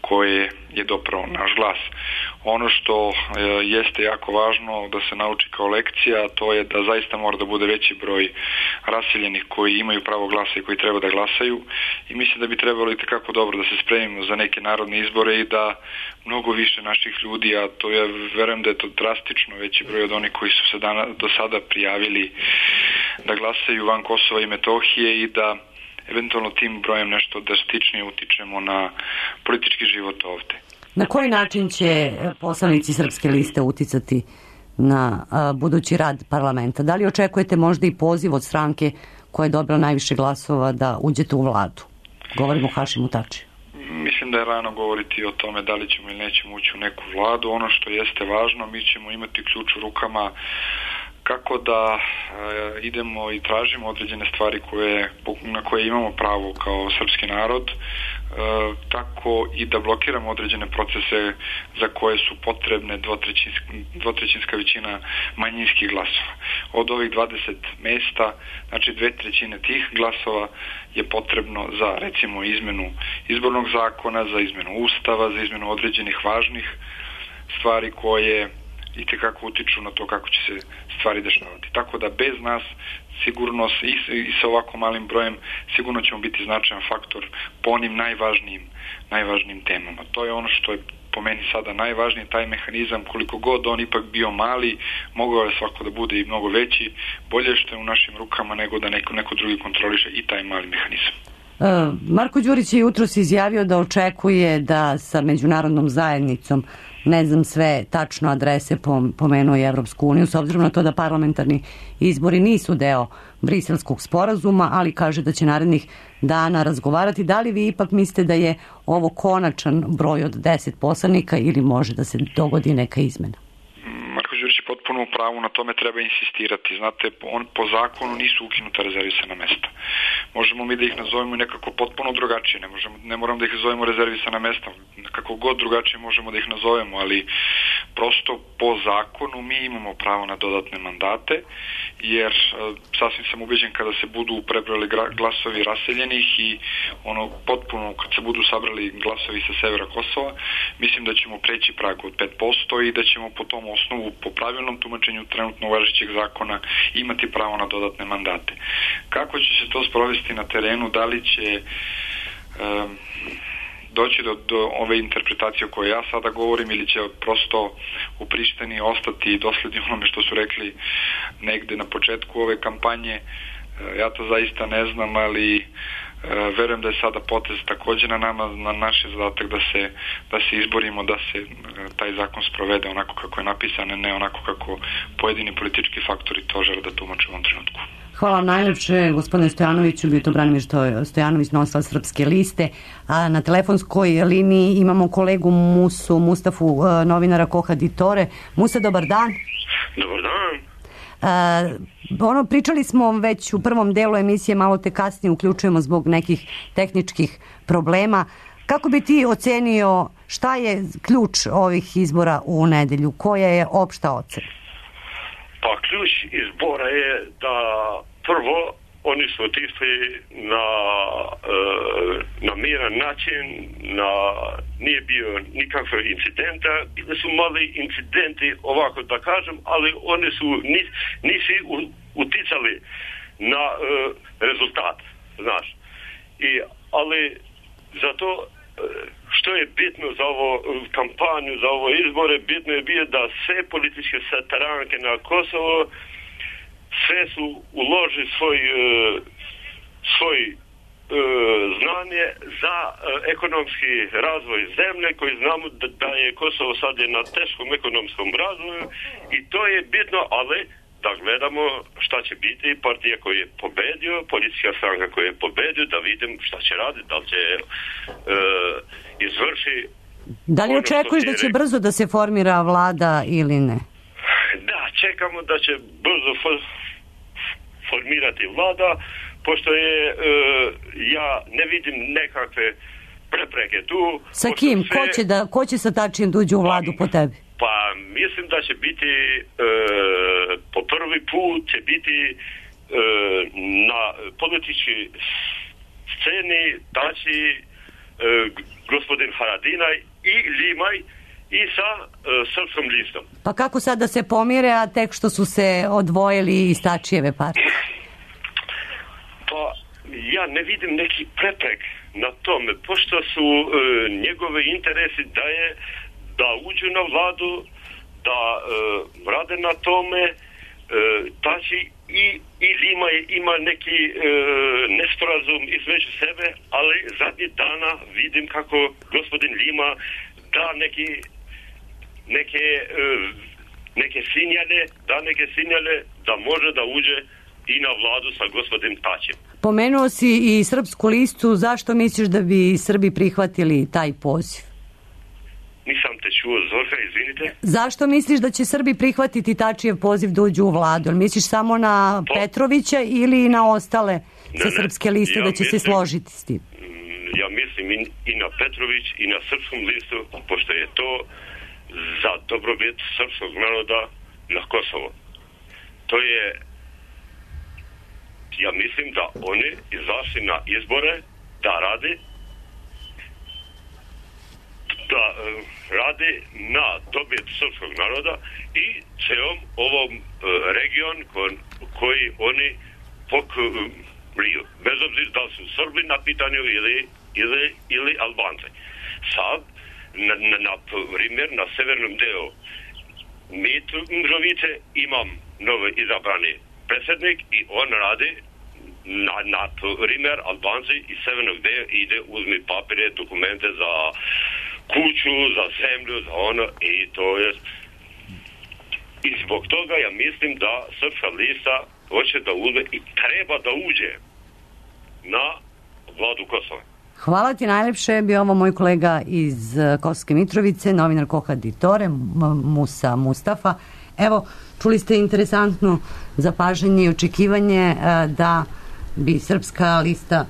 koje je dopravo naš glas. Ono što jeste jako važno da se nauči kao lekcija, to je da zaista mora da bude veći broj raseljenih koji imaju pravo glasa i koji treba da glasaju i mislim da bi trebalo i tekako dobro da se spremimo za neke narodne izbore i da mnogo više naših ljudi, a to ja verujem da je to drastično veći broj od onih koji su se do sada prijavili da glasaju van Kosova i Metohije i da eventualno tim brojem nešto drastičnije utičemo na politički život ovde. Na koji način će poslanici Srpske liste uticati na budući rad parlamenta? Da li očekujete možda i poziv od stranke koja je dobila najviše glasova da uđete u vladu? Govorimo o Hašimu Tačiju. Mislim da je rano govoriti o tome da li ćemo ili nećemo ući u neku vladu. Ono što jeste važno, mi ćemo imati ključ u rukama kako da idemo i tražimo određene stvari na koje imamo pravo kao srpski narod, tako i da blokiramo određene procese za koje su potrebne dvotrećinska većina manjinskih glasova. Od ovih 20 mesta, znači 2/3 tih glasova je potrebno za recimo izmenu izbornog zakona, za izmenu ustava, za izmenu određenih važnih stvari koje i tekako utiču na to kako će se stvari dešavati. Tako da bez nas sigurno i sa ovako malim brojem sigurno ćemo biti značajan faktor po onim najvažnijim temama. To je ono što je po meni sada najvažnije, taj mehanizam, koliko god on ipak bio mali, mogao je svako da bude i mnogo veći, bolje što je u našim rukama nego da neko drugi kontroliše i taj mali mehanizam. Marko Đurić je jutros izjavio da očekuje da sa međunarodnom zajednicom, ne znam sve tačno adrese, pomenuo je Evropsku uniju, s obzirom na to da parlamentarni izbori nisu deo Briselskog sporazuma, ali kaže da će narednih dana razgovarati. Da li vi ipak mislite da je ovo konačan broj od 10 poslanika ili može da se dogodi neka izmena? Marko Đurić je potpuno u pravu, na tome treba insistirati. Znate, po zakonu nisu ukinuta rezervisana mesta. Možemo mi da ih nazovemo nekako potpuno drugačije, ne moramo da ih zovemo rezervisana mesta, kako god drugačije možemo da ih nazovemo, ali prosto po zakonu mi imamo pravo na dodatne mandate, jer sasvim sam ubeđen kada se budu prebrali glasovi raseljenih i potpuno kad se budu sabrali glasovi sa severa Kosova, mislim da ćemo preći prag od 5% i da ćemo po tom osnovu, po pravilnom tumačenju trenutno važećeg zakona, imati pravo na dodatne mandate. Kako će se to sprovesti na terenu, da li će doći do ove interpretacije o kojoj ja sada govorim ili će prosto u Prištini ostati dosledni onome što su rekli negde na početku ove kampanje, ja to zaista ne znam, ali verujem da je sada potez takođe na nama, na naš zadatak da se izborimo, da se taj zakon sprovede onako kako je napisan, ne onako kako pojedini politički faktori to žele da tumače u ovom trenutku. Hvala vam najlepše, gospodine Stojanoviću, bio to Branimir Stojanović, nosilac Srpske liste. A na telefonskoj liniji imamo kolegu Mustafu, novinara Koha Ditore. Musa, dobar dan. Dobar dan. Pričali smo već u prvom delu emisije, malo te kasnije uključujemo zbog nekih tehničkih problema. Kako bi ti ocenio šta je ključ ovih izbora u nedelju? Koja je opšta ocena? Pa ključ izbora je da prvo oni su otišli na miran način, nije bio nikakve incidenta, bili su mali incidenti, ovako da kažem, ali oni su nisi uticali na rezultat, znaš. Ali zato što je bitno za ovo kampanju, za ovo izbore, bitno je bio da sve političke stranke na Kosovo sve su uložili svoj znanje za ekonomski razvoj zemlje, koji znamo da je Kosovo sad je na teškom ekonomskom razvoju i to je bitno, ali da gledamo šta će biti partija koja je pobedio, politička stranka koja je pobedio, da vidim šta će raditi, da li će izvrši. Da li očekuješ da će brzo da se formira vlada ili ne? Da, čekamo da će brzo formirati vlada, pošto je ja ne vidim nekakve prepreke tu. Sa kim? Ko će sa Tačijem da uđe u vladu po tebi? Pa mislim da će biti po prvi put će biti na političkoj sceni Tači, gospodin Haradinaj i Limaj i sa Srpskom listom. Pa kako sad da se pomire, a tek što su se odvojili iz Tačijeve partije? Pa ja ne vidim neki preprek na tome, pošto su njegove interesi da uđu na vladu, da rade na tome. Tači i Limaj ima neki nesporazum između sebe, ali zadnji dana vidim kako gospodin Lima da neke signale da može da uđe i na vladu sa gospodinom Tačijem. Pomenuo si i Srpsku listu, zašto misliš da bi Srbi prihvatili taj poziv? Nisam te čuo, Zorka, izvinite. Zašto misliš da će Srbi prihvatiti Tačijev poziv da uđu u vladu? Misliš samo na Petrovića ili na ostale sa Srpske liste da će se složiti s tim? Ja mislim i na Petrović i na Srpskom listu, pošto je to za dobrobit srpskog naroda na Kosovo. To je, ja mislim da oni izašli na izbore da radi na dobit srpskog naroda i celom ovom region koji oni pokriju. Bez obzira da su Srbi na pitanju ili Albanci. Sad, na primjer, na severnom delu Mitrovice imam novo izabrani predsjednik i on radi na primjer Albanci iz severnog dela ide uzmi papire, dokumente za kuću, za zemlju, za ono i to je i zbog toga ja mislim da Srpska lista hoće da uđe i treba da uđe na vladu Kosova. Hvala ti najlepše, bio ovo moj kolega iz Kosovske Mitrovice, novinar Koha Ditore, Musa Mustafa. Evo, čuli ste interesantno zapažanje i očekivanje da bi Srpska lista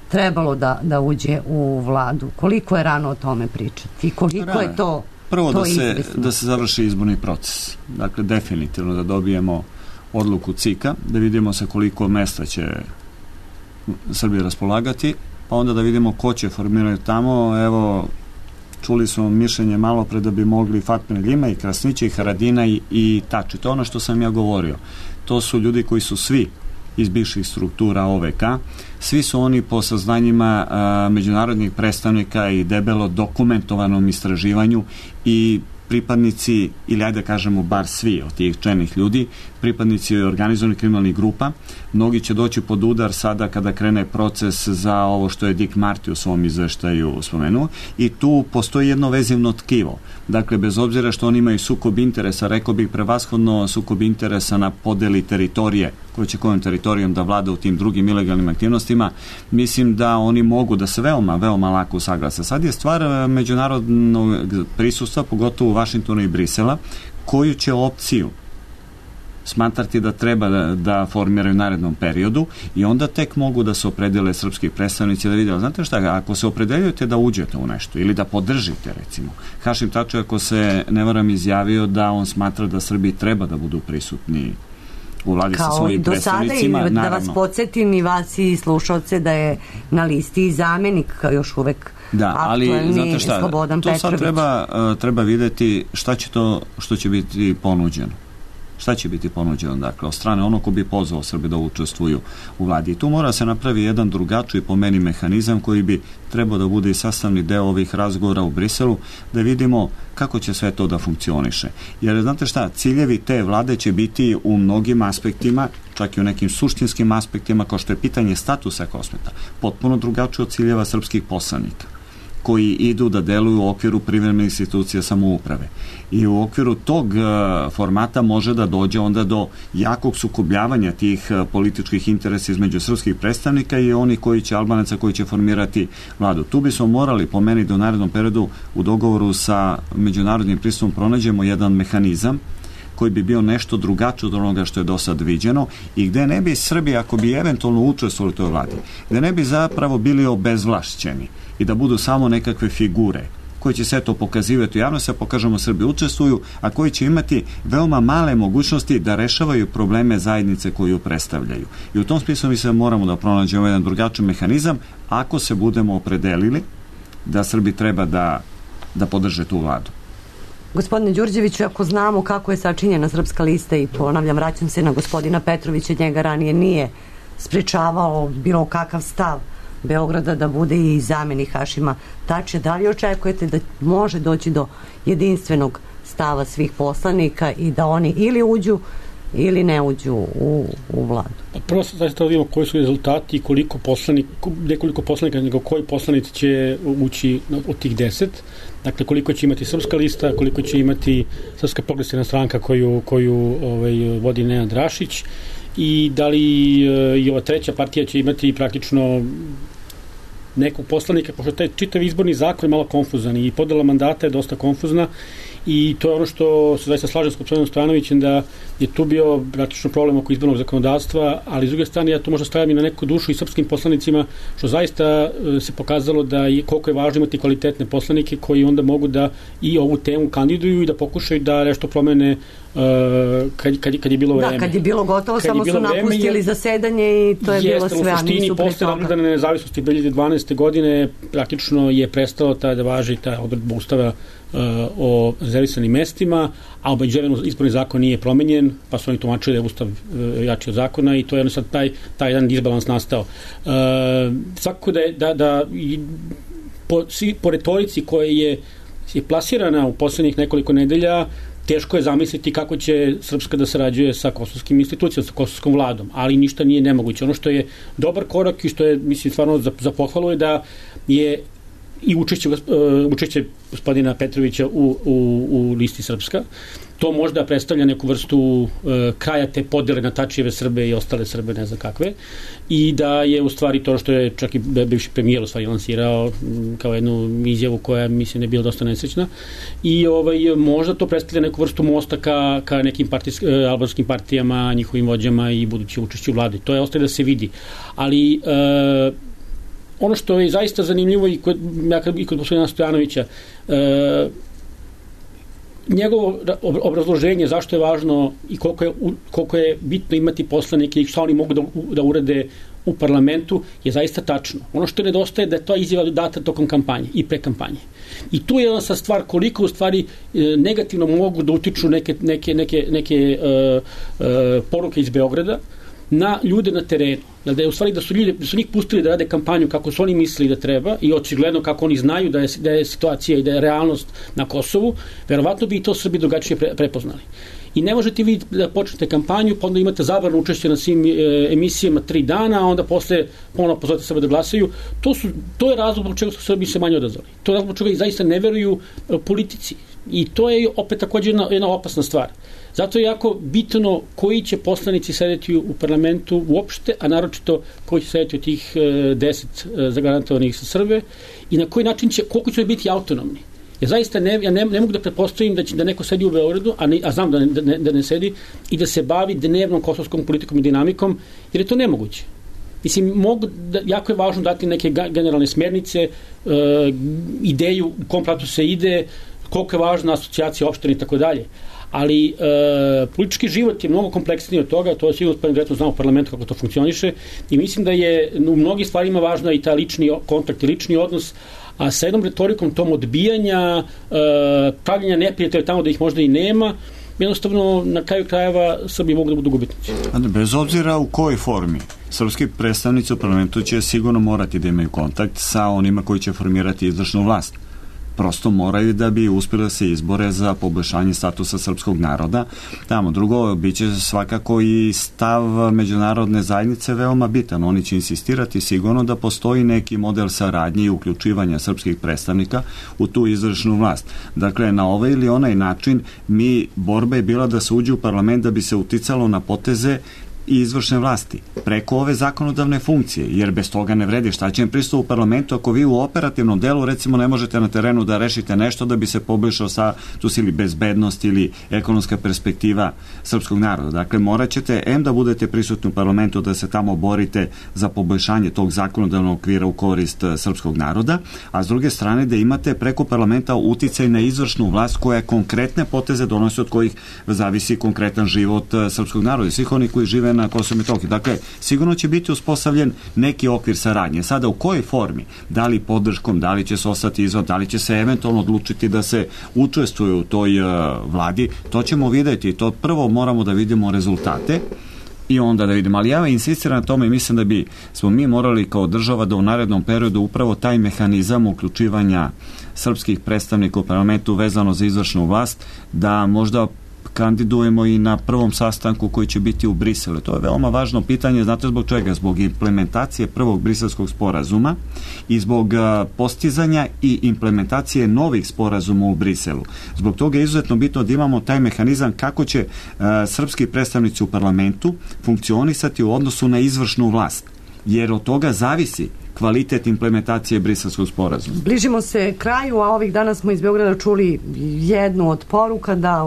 trebalo da uđe u vladu. Koliko je rano o tome pričati? Koliko je to prvo to da se završi izborni proces. Dakle, definitivno da dobijemo odluku CIK-a, da vidimo sa koliko mesta će Srbija raspolagati, pa onda da vidimo ko će formirati tamo. Evo, čuli smo mišljenje malo pre da bi mogli Fatmir Ljima i Krasnića i Haradina i Tači. To je ono što sam ja govorio. To su ljudi koji su svi iz bivših struktura OVK. Svi su oni po saznanjima međunarodnih predstavnika i debelo dokumentovanom istraživanju i pripadnici, ili ajde da kažemo bar svi od tih čelnih ljudi, pripadnici organizovanih kriminalnih grupa. Mnogi će doći pod udar sada kada krene proces za ovo što je Dick Marty u svom izveštaju spomenuo, i tu postoji jedno vezivno tkivo. Dakle, bez obzira što oni imaju sukob interesa, rekao bih prevashodno sukob interesa na podeli teritorije, koji će kojom teritorijom da vlada u tim drugim ilegalnim aktivnostima, mislim da oni mogu da se veoma, veoma lako usaglase. Sad je stvar međunarodnog prisustva, pogotovo u Vašingtonu i Brisela, koju će opciju smatrati da treba da formiraju u narednom periodu, i onda tek mogu da se opredele srpski predstavnici da vide. Znate šta, ako se opredeljujete da uđete u nešto ili da podržite, recimo, Hašim Tači, ako se ne varam, izjavio da on smatra da Srbiji treba da budu prisutni u vladi sa svojim predstavnicima. Kao i do sada, da vas podsjetim i vas i slušalce da je na listi i zamenik još uvek aktuelni Slobodan Petrović. To sad treba videti šta će to što će biti ponuđeno. Šta će biti ponuđeno, dakle, od strane ono ko bi pozvao Srbe da učestvuju u vladi. I tu mora se napravi jedan drugačiji, po meni, mehanizam koji bi trebao da bude i sastavni deo ovih razgovora u Briselu, da vidimo kako će sve to da funkcioniše. Jer, znate šta, ciljevi te vlade će biti u mnogim aspektima, čak i u nekim suštinskim aspektima, kao što je pitanje statusa Kosmeta, potpuno drugačije od ciljeva srpskih poslanika, koji idu da deluju u okviru privremenih institucija samouprave. I u okviru tog formata može da dođe onda do jakog sukobljavanja tih političkih interesa između srpskih predstavnika i oni Albanaca koji će formirati vladu. Tu bismo morali, po meni, da u narednom periodu u dogovoru sa međunarodnim pristupom pronađemo jedan mehanizam koji bi bio nešto drugačije od onoga što je do sad viđeno i gde ne bi Srbija, ako bi eventualno učestvovali u toj vladi, gde ne bi zapravo bili obezvlašćeni i da budu samo nekakve figure koji će sve to pokazivati u javnosti, a pokažemo Srbi učestvuju, a koji će imati veoma male mogućnosti da rešavaju probleme zajednice koju predstavljaju. I u tom smislu mi se moramo da pronađemo jedan drugačiji mehanizam ako se budemo opredelili da Srbi treba da podrže tu vladu. Gospodine Đurđeviću, ako znamo kako je sačinjena Srpska lista, i ponavljam, vraćam se na gospodina Petrovića, njega ranije nije sprečavao bilo kakav stav Beograda da bude i zamenik Hašima Tačija, da li očekujete da može doći do jedinstvenog stava svih poslanika i da oni ili uđu ili ne uđu u vladu? Prvo se zaista vidimo koji su rezultati i koliko poslanika, nekoliko poslanika, nego koji poslanici će ući od tih 10. Dakle, koliko će imati Srpska lista, koliko će imati Srpska progresivna stranka koju vodi Nenad Rašić, i da li i ova treća partija će imati praktično nekog poslanika, pošto taj čitav izborni zakon je malo konfuzan i podela mandata je dosta konfuzna, i to je ono što se zaista slažem s gospodinom Stojanovićem, da je tu bio praktično problem oko izbornog zakonodavstva, ali s druge strane ja to možda stavljam i na neku dušu i srpskim poslanicima, što zaista se pokazalo da je koliko je važno imati kvalitetne poslanike koji onda mogu da i ovu temu kandiduju i da pokušaju da nešto promene kad je bilo vreme. Da, kad je bilo gotovo, samo su napustili zasedanje i to je bilo sve, a nisu pre toga. Posle odbrane nezavisnosti 2012. godine praktično je prestalo da važi ta odredba Ustava o rezervisanim mestima, a obeđeveno izborni zakon nije promenjen, pa su oni tumačili da je Ustav jači od zakona i to je sad taj jedan disbalans nastao. Svakako da po retorici koja je plasirana u poslednjih nekoliko nedelja, teško je zamisliti kako će Srpska da sarađuje sa kosovskim institucijom, sa kosovskom vladom, ali ništa nije nemoguće. Ono što je dobar korak i što je, mislim, stvarno za pohvalu je da je i učešće gospodina Petrovića u listi Srpska. to možda predstavlja neku vrstu kraja te podele na Tačijeve Srbe i ostale Srbe, ne znam kakve, i da je u stvari to što je čak i bivši premijer u stvari lansirao kao jednu izjavu koja mislim ne bila dosta nesrećna, i možda to predstavlja neku vrstu mosta ka nekim albanskim partijama, njihovim vođama i budući učešću u vladi. To je ostaje da se vidi. Ali ono što je zaista zanimljivo i kod gospodina Stojanovića, njegovo obrazloženje zašto je važno i koliko je bitno imati poslanike i šta oni mogu da urade u parlamentu je zaista tačno. Ono što nedostaje da je to izjava data tokom kampanje i pre kampanje. I tu je jedna stvar koliko u stvari negativno mogu da utiču neke poruke iz Beograda na ljude na terenu. Da je u stvari da su njih pustili da rade kampanju kako su oni mislili da treba i očigledno kako oni znaju da je situacija i da je realnost na Kosovu, verovatno bi i to Srbi drugačije prepoznali. I ne možete vi da počnete kampanju, pa onda imate zabranu učešća na svim emisijama 3 dana, a onda posle ponovno pozovete Srbe da glasaju. To je razlog zbog čega su Srbi se manje odazvali. To je razlog zbog čega i zaista ne veruju politici. I to je opet također jedna opasna stvar. Zato je jako bitno koji će poslanici sedeti u parlamentu uopšte, a naročito koji će sedeti od tih 10 zagarantovanih sa Srbe i na koji način koliko će biti autonomni. Ja zaista ne mogu da pretpostavim da neko sedi u Beogradu, a znam da ne sedi, i da se bavi dnevnom kosovskom politikom i dinamikom, jer je to nemoguće. Mislim, jako je važno dati neke generalne smernice, ideju u kom pravcu se ide, koliko je važna asocijacija opština i tako dalje. Ali politički život je mnogo kompleksniji od toga, to je sigurno direktno znamo u parlamentu kako to funkcioniše, i mislim da je u mnogim stvarima važna i ta lični kontakt i lični odnos, a sa jednom retorikom tom odbijanja, pravljenja neprijatelja tamo da ih možda i nema, jednostavno na kraju krajeva Srbi mogu da budu gubitnici. Bez obzira u kojoj formi, srpski predstavnici u parlamentu će sigurno morati da imaju kontakt sa onima koji će formirati izvršnu vlast. Prosto moraju da bi uspjeli da se izbore za poboljšanje statusa srpskog naroda. Tamo drugo, bit će svakako i stav međunarodne zajednice veoma bitan. Oni će insistirati sigurno da postoji neki model saradnje i uključivanja srpskih predstavnika u tu izvršnu vlast. Dakle, na ovaj ili onaj način borba je bila da se uđe u parlament da bi se uticalo na poteze i izvršne vlasti, preko ove zakonodavne funkcije, jer bez toga ne vredi. Šta će im pristup u parlamentu ako vi u operativnom delu, recimo, ne možete na terenu da rešite nešto da bi se poboljšao status ili bezbednost ili ekonomska perspektiva srpskog naroda. Dakle, morat ćete da budete prisutni u parlamentu, da se tamo borite za poboljšanje tog zakonodavnog okvira u korist srpskog naroda, a s druge strane da imate preko parlamenta uticaj na izvršnu vlast koja konkretne poteze donosi, od kojih zavisi konkretan život srpskog naroda i svih onih koji žive na Kosovu i Metohiji. Dakle, sigurno će biti uspostavljen neki okvir saradnje. Sada u kojoj formi, da li podrškom, da li će se ostati izvan, da li će se eventualno odlučiti da se učestvuje u toj vladi, to ćemo vidjeti. To prvo moramo da vidimo rezultate i onda da vidimo. Ali ja insistiram na tome i mislim da smo mi morali kao država da u narednom periodu upravo taj mehanizam uključivanja srpskih predstavnika u parlamentu vezano za izvršnu vlast, da možda kandidujemo i na prvom sastanku koji će biti u Briselu. To je veoma važno pitanje, znate zbog čega? Zbog implementacije prvog briselskog sporazuma i zbog postizanja i implementacije novih sporazuma u Briselu. Zbog toga je izuzetno bitno da imamo taj mehanizam kako će srpski predstavnici u parlamentu funkcionisati u odnosu na izvršnu vlast, jer od toga zavisi kvalitet implementacije briselskog sporazuma. Bližimo se kraju, a ovih dana smo iz Beograda čuli jednu od poruka da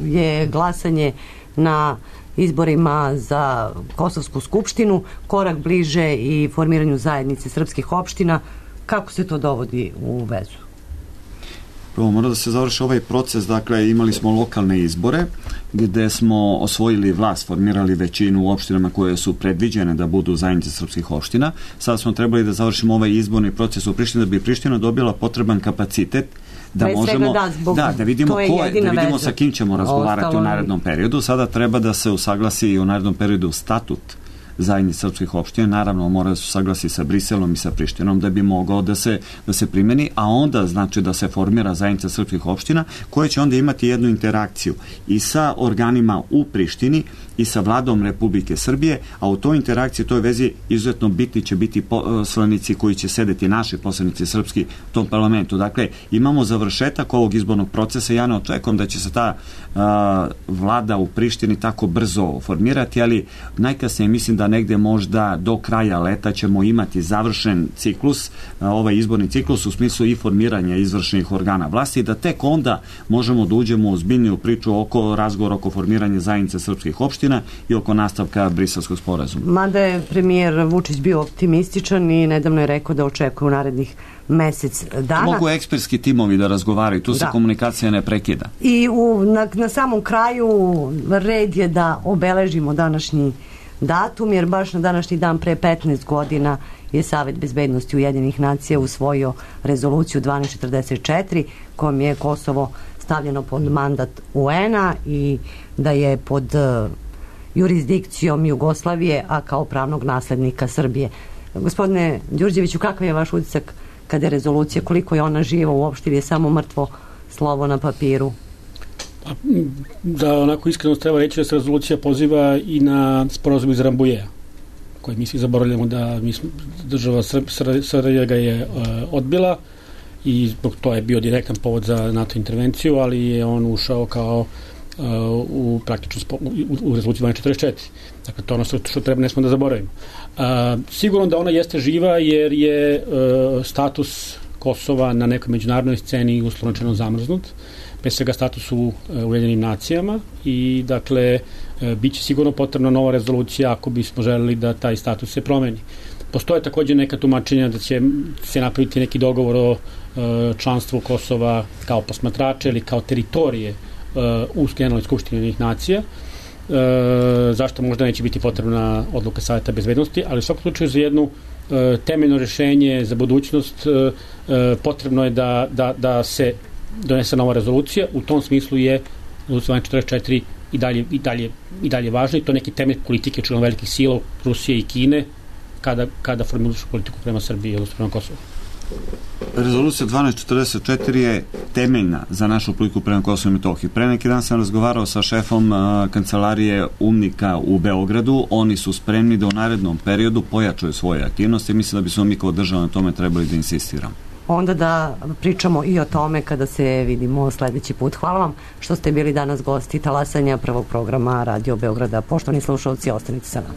je glasanje na izborima za Kosovsku skupštinu korak bliže i formiranju zajednice srpskih opština. Kako se to dovodi u vezu? Prvo mora da se završi ovaj proces, dakle imali smo lokalne izbore gde smo osvojili vlast, formirali većinu u opštinama koje su predviđene da budu zajednice srpskih opština. Sada smo trebali da završimo ovaj izborni proces u Prištini da bi Priština dobila potreban kapacitet da možemo da vidimo sa kim ćemo razgovarati u narednom periodu. Sada treba da se usaglasi i u narednom periodu statut zajednice srpskih opština, naravno mora da se saglasi sa Briselom i sa Prištinom da bi mogao da se primeni, a onda znači da se formira zajednica srpskih opština koja će onda imati jednu interakciju i sa organima u Prištini i sa vladom Republike Srbije, a u toj interakciji, toj vezi izuzetno bitni će biti poslanici koji će sedeti, naši poslanici srpski u tom parlamentu. Dakle, imamo završetak ovog izbornog procesa. Ja ne očekujem da će se ta vlada u Prištini tako brzo formirati, ali najkasnije mislim da negde možda do kraja leta ćemo imati završen ciklus, ovaj izborni ciklus u smislu i formiranja izvršnih organa vlasti, da tek onda možemo da uđemo u ozbiljniju priču oko razgovora oko formiranja zajednice srpskih opština i oko nastavka Briselskog sporazuma. Mada je premijer Vučić bio optimističan i nedavno je rekao da očekuje u narednih mesec dana. Mogu ekspertski timovi da razgovaraju, tu se komunikacija ne prekida. I na samom kraju red je da obeležimo današnji datum, jer baš na današnji dan pre 15 godina je Savet bezbednosti Ujedinjenih nacija usvojio rezoluciju 1244 kojom je Kosovo stavljeno pod mandat UN-a i da je pod jurisdikcijom Jugoslavije, a kao pravnog naslednika Srbije. Gospodine Đurđeviću, kakav je vaš utisak kada je rezolucija, koliko je ona živa uopšte ili je samo mrtvo slovo na papiru? Da, onako iskreno treba reći da se rezolucija poziva i na sporazum iz Rambouillea, koji mi svi zaboravljamo da država Srbija ga je odbila i zbog to je bio direktan povod za NATO intervenciju, ali je on ušao kao u praktično u rezoluciji 1244. Dakle, to je ono što treba, ne smo da zaboravimo. Sigurno da ona jeste živa jer je status Kosova na nekoj međunarodnoj sceni uslovno rečeno zamrznut, pre svega status u Ujedinjenim nacijama i dakle biće sigurno potrebna nova rezolucija ako bismo želeli da taj status se promeni. Postoje takođe neka tumačenja da će se napraviti neki dogovor o članstvu Kosova kao posmatrača ili kao teritorije u Generalnoj skupštini Ujedinjenih nacija. Zašto možda neće biti potrebna odluka Saveta bezbednosti, ali u svakom slučaju za jednu temeljno rešenje za budućnost potrebno je da se donese nova rezolucija. U tom smislu je rezolucija 1244 i dalje važna i to neki temelj politike čujem velikih sila Rusije i Kine kada formulišu politiku prema Srbiji odnosno prema Kosovu. Rezolucija 1244 je temeljna za našu politiku prema Kosovu i Metohiji. Pre neki dan sam razgovarao sa šefom kancelarije UNMIK-a u Beogradu. Oni su spremni da u narednom periodu pojačaju svoje aktivnosti. Mislim da bismo mi kao država na tome trebali da insistiramo. Onda da pričamo i o tome kada se vidimo sledeći put. Hvala vam što ste bili danas gosti talasanja prvog programa Radio Beograda. Poštovani slušalci, ostanite sa nama.